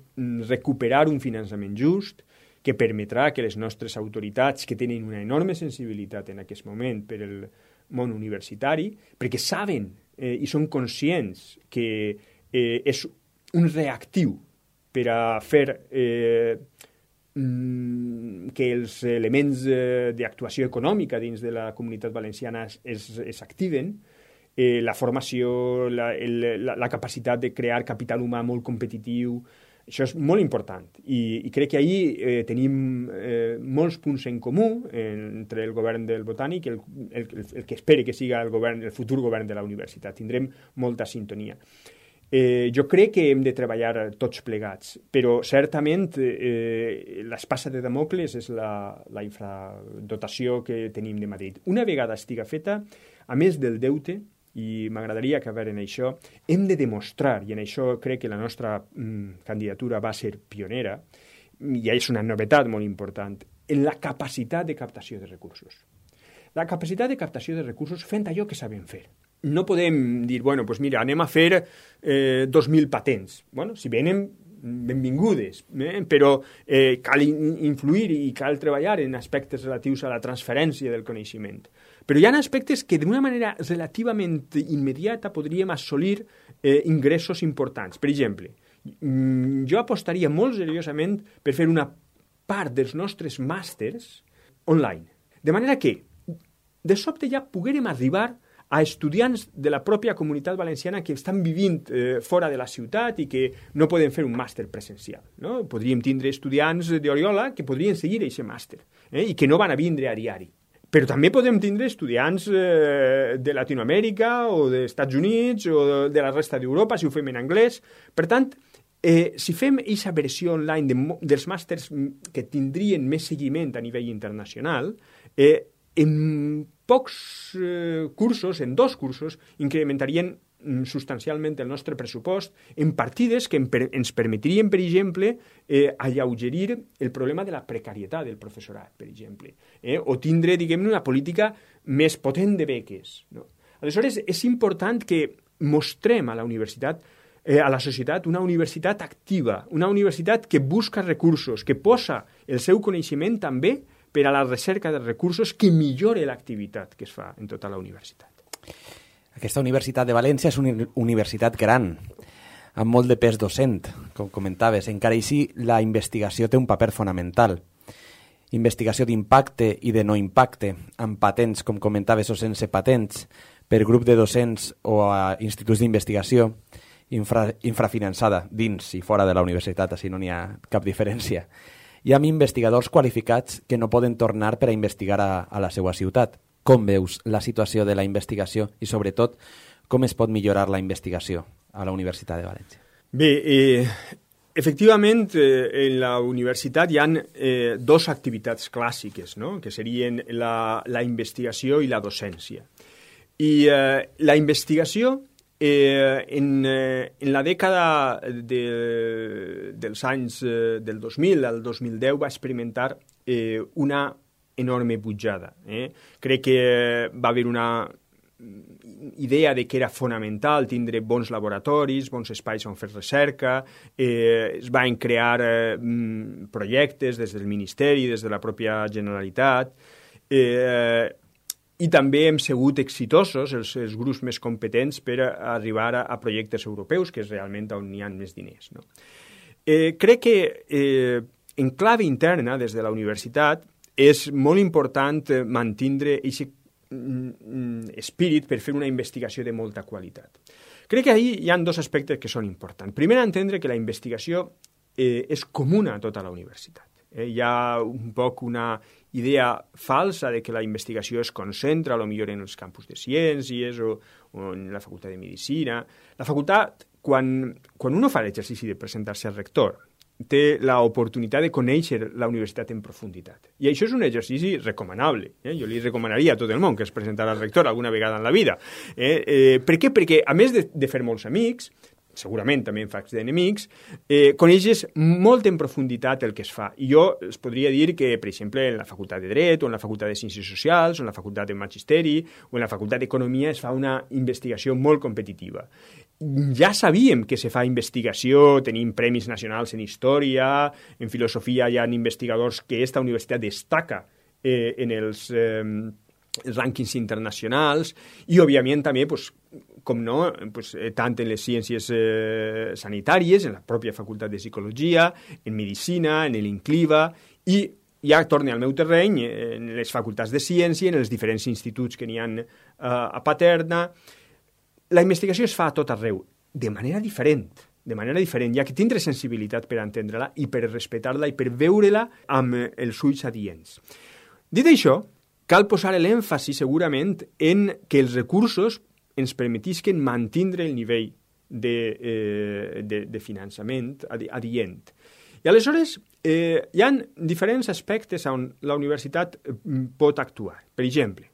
recuperar un finançament just que permetrà que les nostres autoritats, que tenen una enorme sensibilitat en aquest moment per el món universitari, perquè saben i són conscients que és un reactiu per a fer que els elements d'actuació econòmica dins de la comunitat valenciana es activen, la formació, la capacitat de crear capital humà molt competitiu. Això és molt important i crec que ahir tenim molts punts en comú entre el govern del Botànic i el que espere que siga el futur govern de la universitat. Tindrem molta sintonia. Jo crec que hem de treballar tots plegats, però certament l'espasa de Damocles és la infradotació que tenim de Madrid. Una vegada estiga feta, a més del deute, i m'agradaria acabar en això, hem de demostrar, i en això crec que la nostra candidatura va ser pionera, i és una novetat molt important, en la capacitat de captació de recursos. La capacitat de captació de recursos fent allò que sabem fer. No podem dir, bueno, doncs mira, anem a fer 2.000 patents. Bueno, si venen, benvingudes, però cal influir i cal treballar en aspectes relatius a la transferència del coneixement. Però hi ha aspectes que d'una manera relativament immediata podríem assolir ingressos importants. Per exemple, jo apostaria molt seriosament per fer una part dels nostres màsters online. De manera que, de sobte ja poguérem arribar a estudiants de la pròpia comunitat valenciana que estan vivint fora de la ciutat i que no poden fer un màster presencial. No? Podríem tindre estudiants d'Oriola que podrien seguir aquest màster i que no van a vindre a diari. Però també podem tindre estudiants de Latinoamèrica o dels Estats Units o de la resta d'Europa, si ho fem en anglès. Per tant, si fem aquesta versió online dels màsters que tindrien més seguiment a nivell internacional, en pocs cursos, en 2 cursos, incrementarien substancialment el nostre pressupost en partides que ens permetrien, per exemple, alleugerir el problema de la precarietat del professorat, per exemple, o tindre, diguem-ne, una política més potent de beques. No? Aleshores, és important que mostrem a la universitat, a la societat, una universitat activa, una universitat que busca recursos, que posa el seu coneixement també per a la recerca de recursos que millore l'activitat que es fa en tota la universitat. Aquesta Universitat de València és una universitat gran, amb molt de pes docent, com comentaves. Encara així, la investigació té un paper fonamental. Investigació d'impacte i de no impacte, amb patents, com comentaves, o sense patents, per grup de docents o a instituts d'investigació, infrafinançada dins i fora de la universitat, així no n'hi ha cap diferència. Hi ha investigadors qualificats que no poden tornar per a investigar a la seva ciutat. Com veus la situació de la investigació i, sobretot, com es pot millorar la investigació a la Universitat de València? Bé, efectivament, en la universitat hi ha 2 activitats clàssiques, no? Que serien la investigació i la docència. I la investigació, en la dècada dels anys del 2000 al 2010 va experimentar una enorme pujada. Crec que va haver una idea de que era fonamental tindre bons laboratoris, bons espais on fer recerca, es van crear projectes des del Ministeri, des de la pròpia Generalitat, i també hem sigut exitosos, els grups més competents, per arribar a projectes europeus, que és realment on hi ha més diners. No? Crec que en clave interna, des de la universitat, és molt important mantindre aquest espírit per fer una investigació de molta qualitat. Crec que ahí hi ha 2 aspectes que són importants. Primer, entendre que la investigació és comuna a tota la universitat. Hi ha un poc una idea falsa de que la investigació es concentra potser en els campus de ciències o en la facultat de medicina. La facultat, quan uno fa l'exercici de presentar-se al rector, té l'oportunitat de conèixer la universitat en profunditat. I això és un exercici recomanable. Jo li recomanaria a tot el món que es presentara al rector alguna vegada en la vida. Per què? Perquè, a més de fer molts amics, segurament també en faig d'enemics, coneixes molt en profunditat el que es fa. I jo es podria dir que, per exemple, en la facultat de Dret, o en la facultat de Ciències Socials, o en la facultat de Magisteri, o en la facultat d'Economia es fa una investigació molt competitiva. Ja sabíem que se fa investigació, tenim premis nacionals en història, en filosofia hi ha investigadors que aquesta universitat destaca en els rànquings internacionals, i, òbviament, també, com no, tant en les ciències sanitàries, en la pròpia facultat de Psicologia, en Medicina, en l'Incliva, i ja torne al meu terreny, en les facultats de Ciència, en els diferents instituts que n'hi ha a Paterna. La investigació es fa a tot arreu, de manera diferent. Hi ha que tindre sensibilitat per entendre-la i per respectar-la i per veure-la amb els ulls adients. Dit això, cal posar l'èmfasi segurament en que els recursos ens permetisquen mantindre el nivell de finançament adient. I aleshores hi ha diferents aspectes on la universitat pot actuar. Per exemple,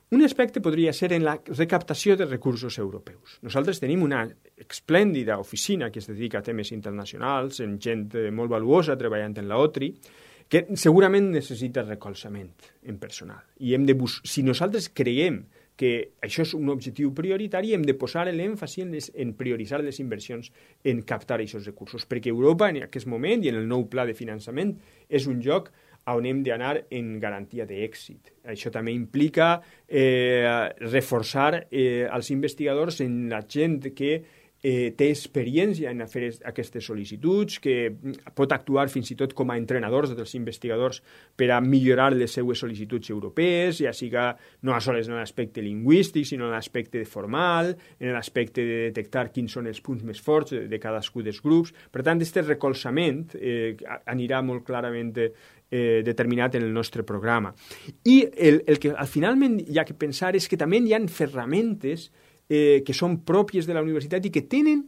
un aspecte podria ser en la recaptació de recursos europeus. Nosaltres tenim una esplèndida oficina que es dedica a temes internacionals, amb gent molt valuosa treballant en la OTRI, que segurament necessita recolzament en personal. I si nosaltres creiem que això és un objectiu prioritari, hem de posar l'èmfasi en prioritzar les inversions en captar aquests recursos, perquè Europa en aquest moment i en el nou pla de finançament és un lloc on hem d'anar en garantia d'èxit. Això també implica reforçar els investigadors en la gent que té experiència en fer aquestes sol·licituds, que pot actuar fins i tot com a entrenadors dels investigadors per a millorar les seues sol·licituds europees, ja siga no sols en l'aspecte lingüístic, sinó en l'aspecte formal, en l'aspecte de detectar quins són els punts més forts de cadascun dels grups. Per tant, aquest recolzament anirà molt clarament determinat en el nostre programa. I el que finalment hi ha que pensar és que també hi ha ferramentes que són pròpies de la universitat i que tenen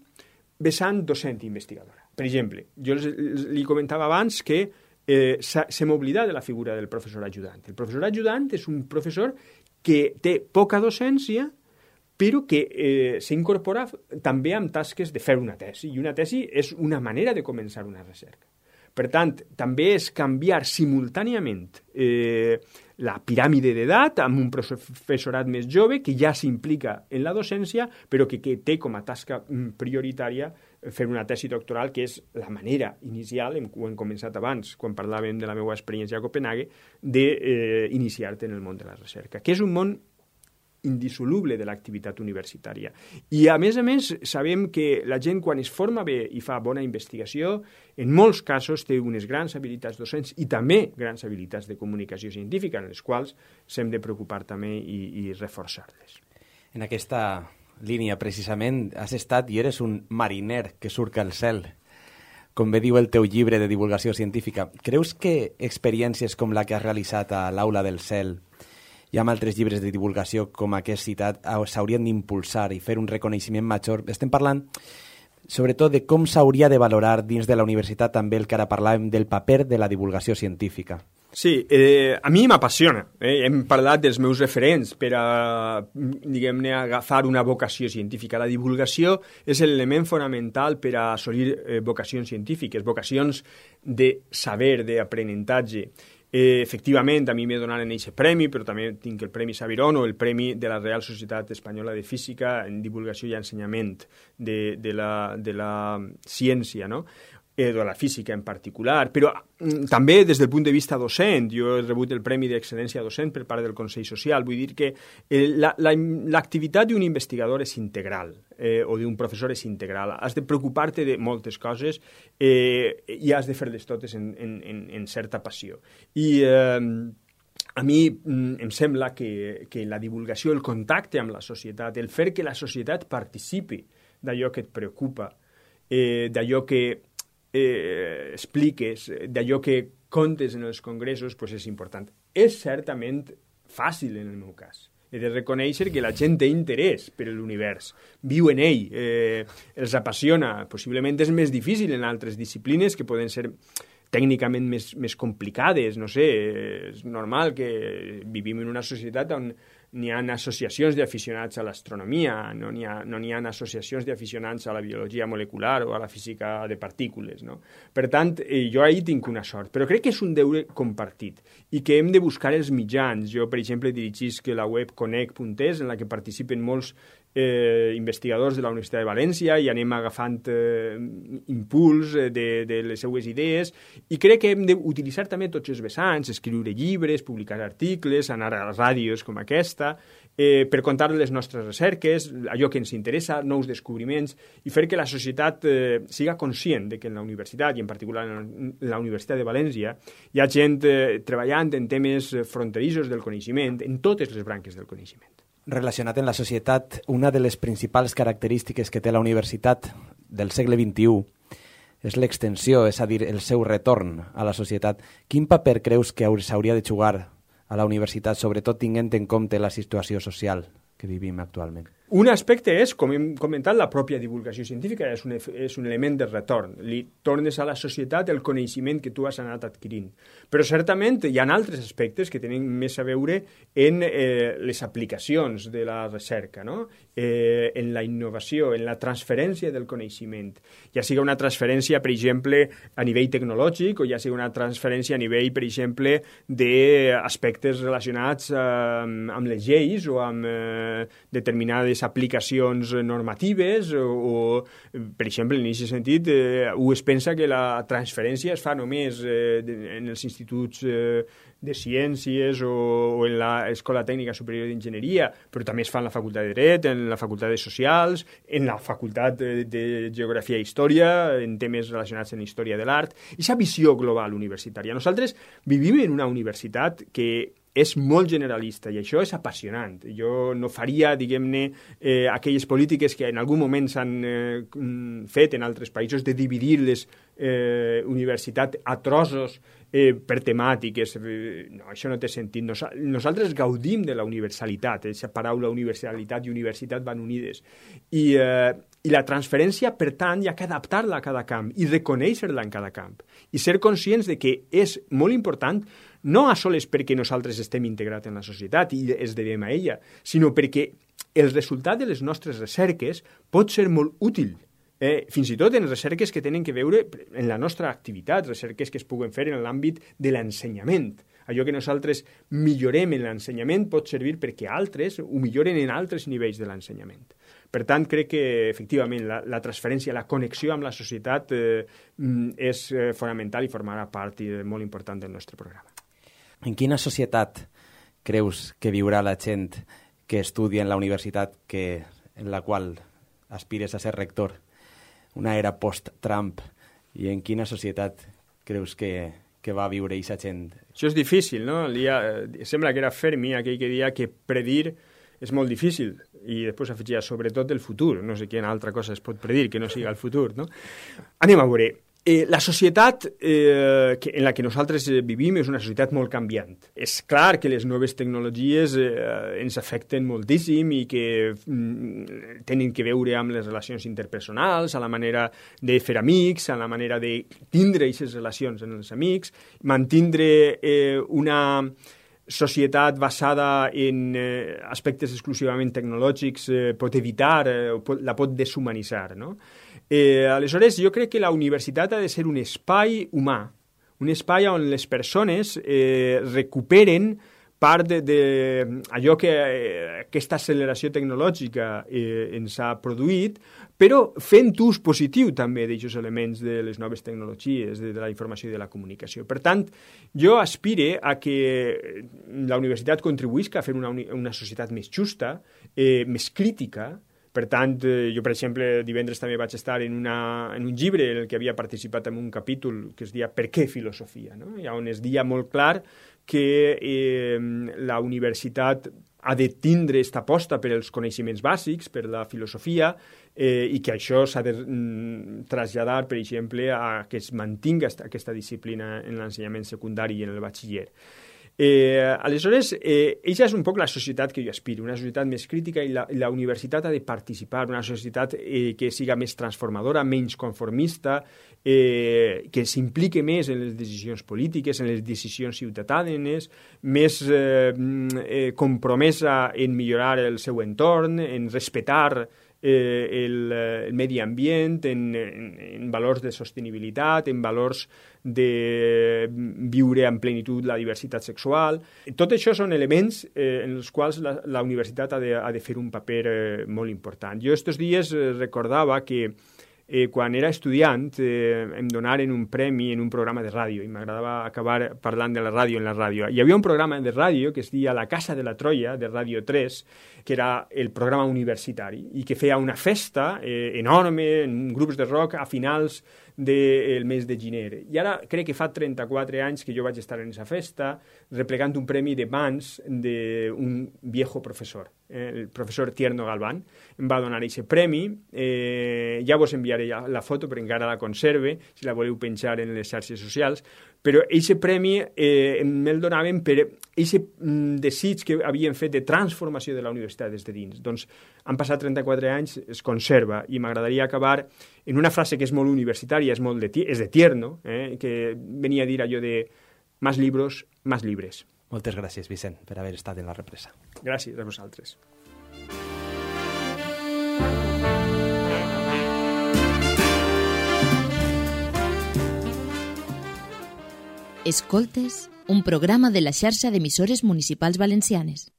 vessant docent investigadora. Per exemple, jo li comentava abans que se m'oblida de la figura del professor ajudant. El professor ajudant és un professor que té poca docència, però que s'incorpora també amb tasques de fer una tesi, i una tesi és una manera de començar una recerca. Per tant, també és canviar simultàniament la piràmide d'edat amb un professorat més jove que ja s'implica en la docència, però que té com a tasca prioritària fer una tesi doctoral, que és la manera inicial, ho hem començat abans, quan parlàvem de la meva experiència a Copenhague, d'iniciar-te en el món de la recerca, que és un món indissoluble de l'activitat universitària. I, a més, sabem que la gent, quan es forma bé i fa bona investigació, en molts casos té unes grans habilitats docents i també grans habilitats de comunicació científica, en les quals s'hem de preocupar també i reforçar-les. En aquesta línia, precisament, has estat i eres un mariner que surca al cel, com bé diu el teu llibre de divulgació científica. Creus que experiències com la que has realitzat a l'Aula del Cel i amb altres llibres de divulgació com aquest citat s'haurien d'impulsar i fer un reconeixement major? Estem parlant sobretot de com s'hauria de valorar dins de la universitat també el que ara parlàvem del paper de la divulgació científica. Sí, a mi m'apassiona. Hem parlat dels meus referents per a, diguem-ne, agafar una vocació científica. La divulgació és l'element fonamental per a assolir vocacions científiques, vocacions de saber, d'aprenentatge. Efectivament, a mi m'he donat aquest premi, però també tinc el Premi Saviron o el Premi de la Real Societat Espanyola de Física en divulgació i ensenyament de la ciència, no? De la física en particular, però també des del punt de vista docent. Jo he rebut el Premi d'Excel·lència Docent per part del Consell Social. Vull dir que l'activitat d'un investigador és integral, o d'un professor és integral. Has de preocupar-te de moltes coses i has de fer-les totes en certa passió. I a mi em sembla que la divulgació, el contacte amb la societat, el fer que la societat participi d'allò que et preocupa, d'allò que expliques, d'allò que contes en els congressos, doncs és important. És certament fàcil en el meu cas. He de reconèixer que la gent té interès per l'univers, viu en ell, els apassiona. Possiblement és més difícil en altres disciplines que poden ser tècnicament més complicades, no sé, és normal que vivim en una societat on n'hi ha associacions d'aficionats a l'astronomia, no n'hi ha associacions d'aficionats a la biologia molecular o a la física de partícules, no? Per tant, jo ahir tinc una sort, però crec que és un deure compartit i que hem de buscar els mitjans. Jo, per exemple, dirigisc la web conec.es, en la que participen molts investigadors de la Universitat de València i anem agafant impuls de les seues idees, i crec que hem d'utilitzar també tots els vessants, escriure llibres, publicar articles, anar a ràdios com aquesta, per contar les nostres recerques, allò que ens interessa, nous descobriments, i fer que la societat siga conscient de que en la universitat, i en particular en la Universitat de València, hi ha gent treballant en temes fronterissos del coneixement, en totes les branques del coneixement. Relacionat amb la societat, una de les principals característiques que té la universitat del segle XXI és l'extensió, és a dir, el seu retorn a la societat. Quin paper creus que s'hauria de jugar a la universitat, sobretot tinguent en compte la situació social que vivim actualment? Un aspecte és, com hem comentat, la pròpia divulgació científica és un element de retorn. Li tornes a la societat el coneixement que tu has anat adquirint. Però certament hi ha altres aspectes que tenen més a veure en les aplicacions de la recerca, no? En la innovació, en la transferència del coneixement. Ja sigui una transferència, per exemple, a nivell tecnològic o ja sigui una transferència a nivell, per exemple, d'aspectes relacionats amb les lleis o amb determinades aplicacions normatives o per exemple, en aquest sentit, es pensa que la transferència es fa només en els instituts de ciències o en l'Escola Tècnica Superior d'Enginyeria, però també es fa en la Facultat de Dret, en la Facultat de Socials, en la Facultat de Geografia i Història, en temes relacionats amb Història de l'Art. Aquesta visió global universitària. Nosaltres vivim en una universitat que és molt generalista i això és apassionant. Jo no faria, diguem-ne, aquelles polítiques que en algun moment s'han fet en altres països de dividir les universitats a trossos per temàtiques. No, això no té sentit. Nosaltres gaudim de la universalitat. Aquesta paraula universalitat i universitat van unides. I la transferència, per tant, hi ha que adaptar-la a cada camp i reconèixer-la en cada camp. I ser conscients de que és molt important no a soles perquè nosaltres estem integrats en la societat i es devem a ella, sinó perquè el resultat de les nostres recerques pot ser molt útil, fins i tot en recerques que tenen que veure en la nostra activitat, recerques que es puguen fer en l'àmbit de l'ensenyament. Allò que nosaltres millorem en l'ensenyament pot servir perquè altres ho milloren en altres nivells de l'ensenyament. Per tant, crec que, efectivament, la transferència, la connexió amb la societat és fonamental i formarà part molt important del nostre programa. En quina societat creus que viurà la gent que estudia en la universitat en la qual aspires a ser rector? Una era post-Trump. I en quina societat creus que va viure aquesta gent? Això és difícil, no? Sembla que era Fermi aquell que deia que predir és molt difícil i després afegia sobretot el futur. No sé quina altra cosa es pot predir que no sigui el futur, no? Anem a veure. La societat en la que nosaltres vivim és una societat molt canviant. És clar que les noves tecnologies ens afecten moltíssim i que tenen que veure amb les relacions interpersonals, a la manera de fer amics, a la manera de tindre aquestes relacions amb els amics, mantindre una societat basada en aspectes exclusivament tecnològics pot evitar, la pot deshumanitzar, no? Aleshores, jo crec que la universitat ha de ser un espai humà, un espai on les persones recuperen part d'allò que aquesta acceleració tecnològica ens ha produït, però fent ús positiu també d'aquests elements de les noves tecnologies, de la informació i de la comunicació. Per tant, jo aspire a que la universitat contribuïsca a fer una societat més justa, més crítica. Per tant, jo, per exemple, divendres també vaig estar en un llibre en el que havia participat en un capítol que es deia «Per què filosofia?», no? I on es deia molt clar que la universitat ha de tindre aquesta aposta per als coneixements bàsics, per la filosofia, i que això s'ha de traslladar, per exemple, a que es mantinga aquesta disciplina en l'ensenyament secundari i en el batxiller. Aleshores, aquesta és un poc la societat que jo aspiro, una societat més crítica i la universitat ha de participar, una societat que siga més transformadora, menys conformista, que s'implique més en les decisions polítiques, en les decisions ciutadanes, més compromesa en millorar el seu entorn, en respectar el medi ambient, en valors de sostenibilitat, en valors de viure en plenitud la diversitat sexual. Tot això són elements en els quals la universitat ha de fer un paper molt important. Jo estos dies recordava que quan era estudiant em donaren un premi en un programa de ràdio i m'agradava acabar parlant de la ràdio en la ràdio. Hi havia un programa de ràdio que es deia La Casa de la Troia, de Ràdio 3, que era el programa universitari i que feia una festa enorme en grups de rock a finals del mes de gener. I ara crec que fa 34 anys que jo vaig estar en aquesta festa replegant un premi de mans d'un viejo professor. el professor Tierno Galván, em va donar aquest premi. Ja vos enviaré la foto, però encara la conserve, si la voleu penjar en les xarxes socials. Però aquest premi me'l donaven per aquest desig que havien fet de transformació de la universitat des de dins. Doncs han passat 34 anys, es conserva, i m'agradaria acabar en una frase que és molt universitària, és de Tierno, que venia a dir allò de «Más libros, más libres». Moltes gràcies, Vicent, per haver estat en la represa. Gràcies a vosaltres. Escoltes, un programa de la xarxa d'emissores municipals valencianes.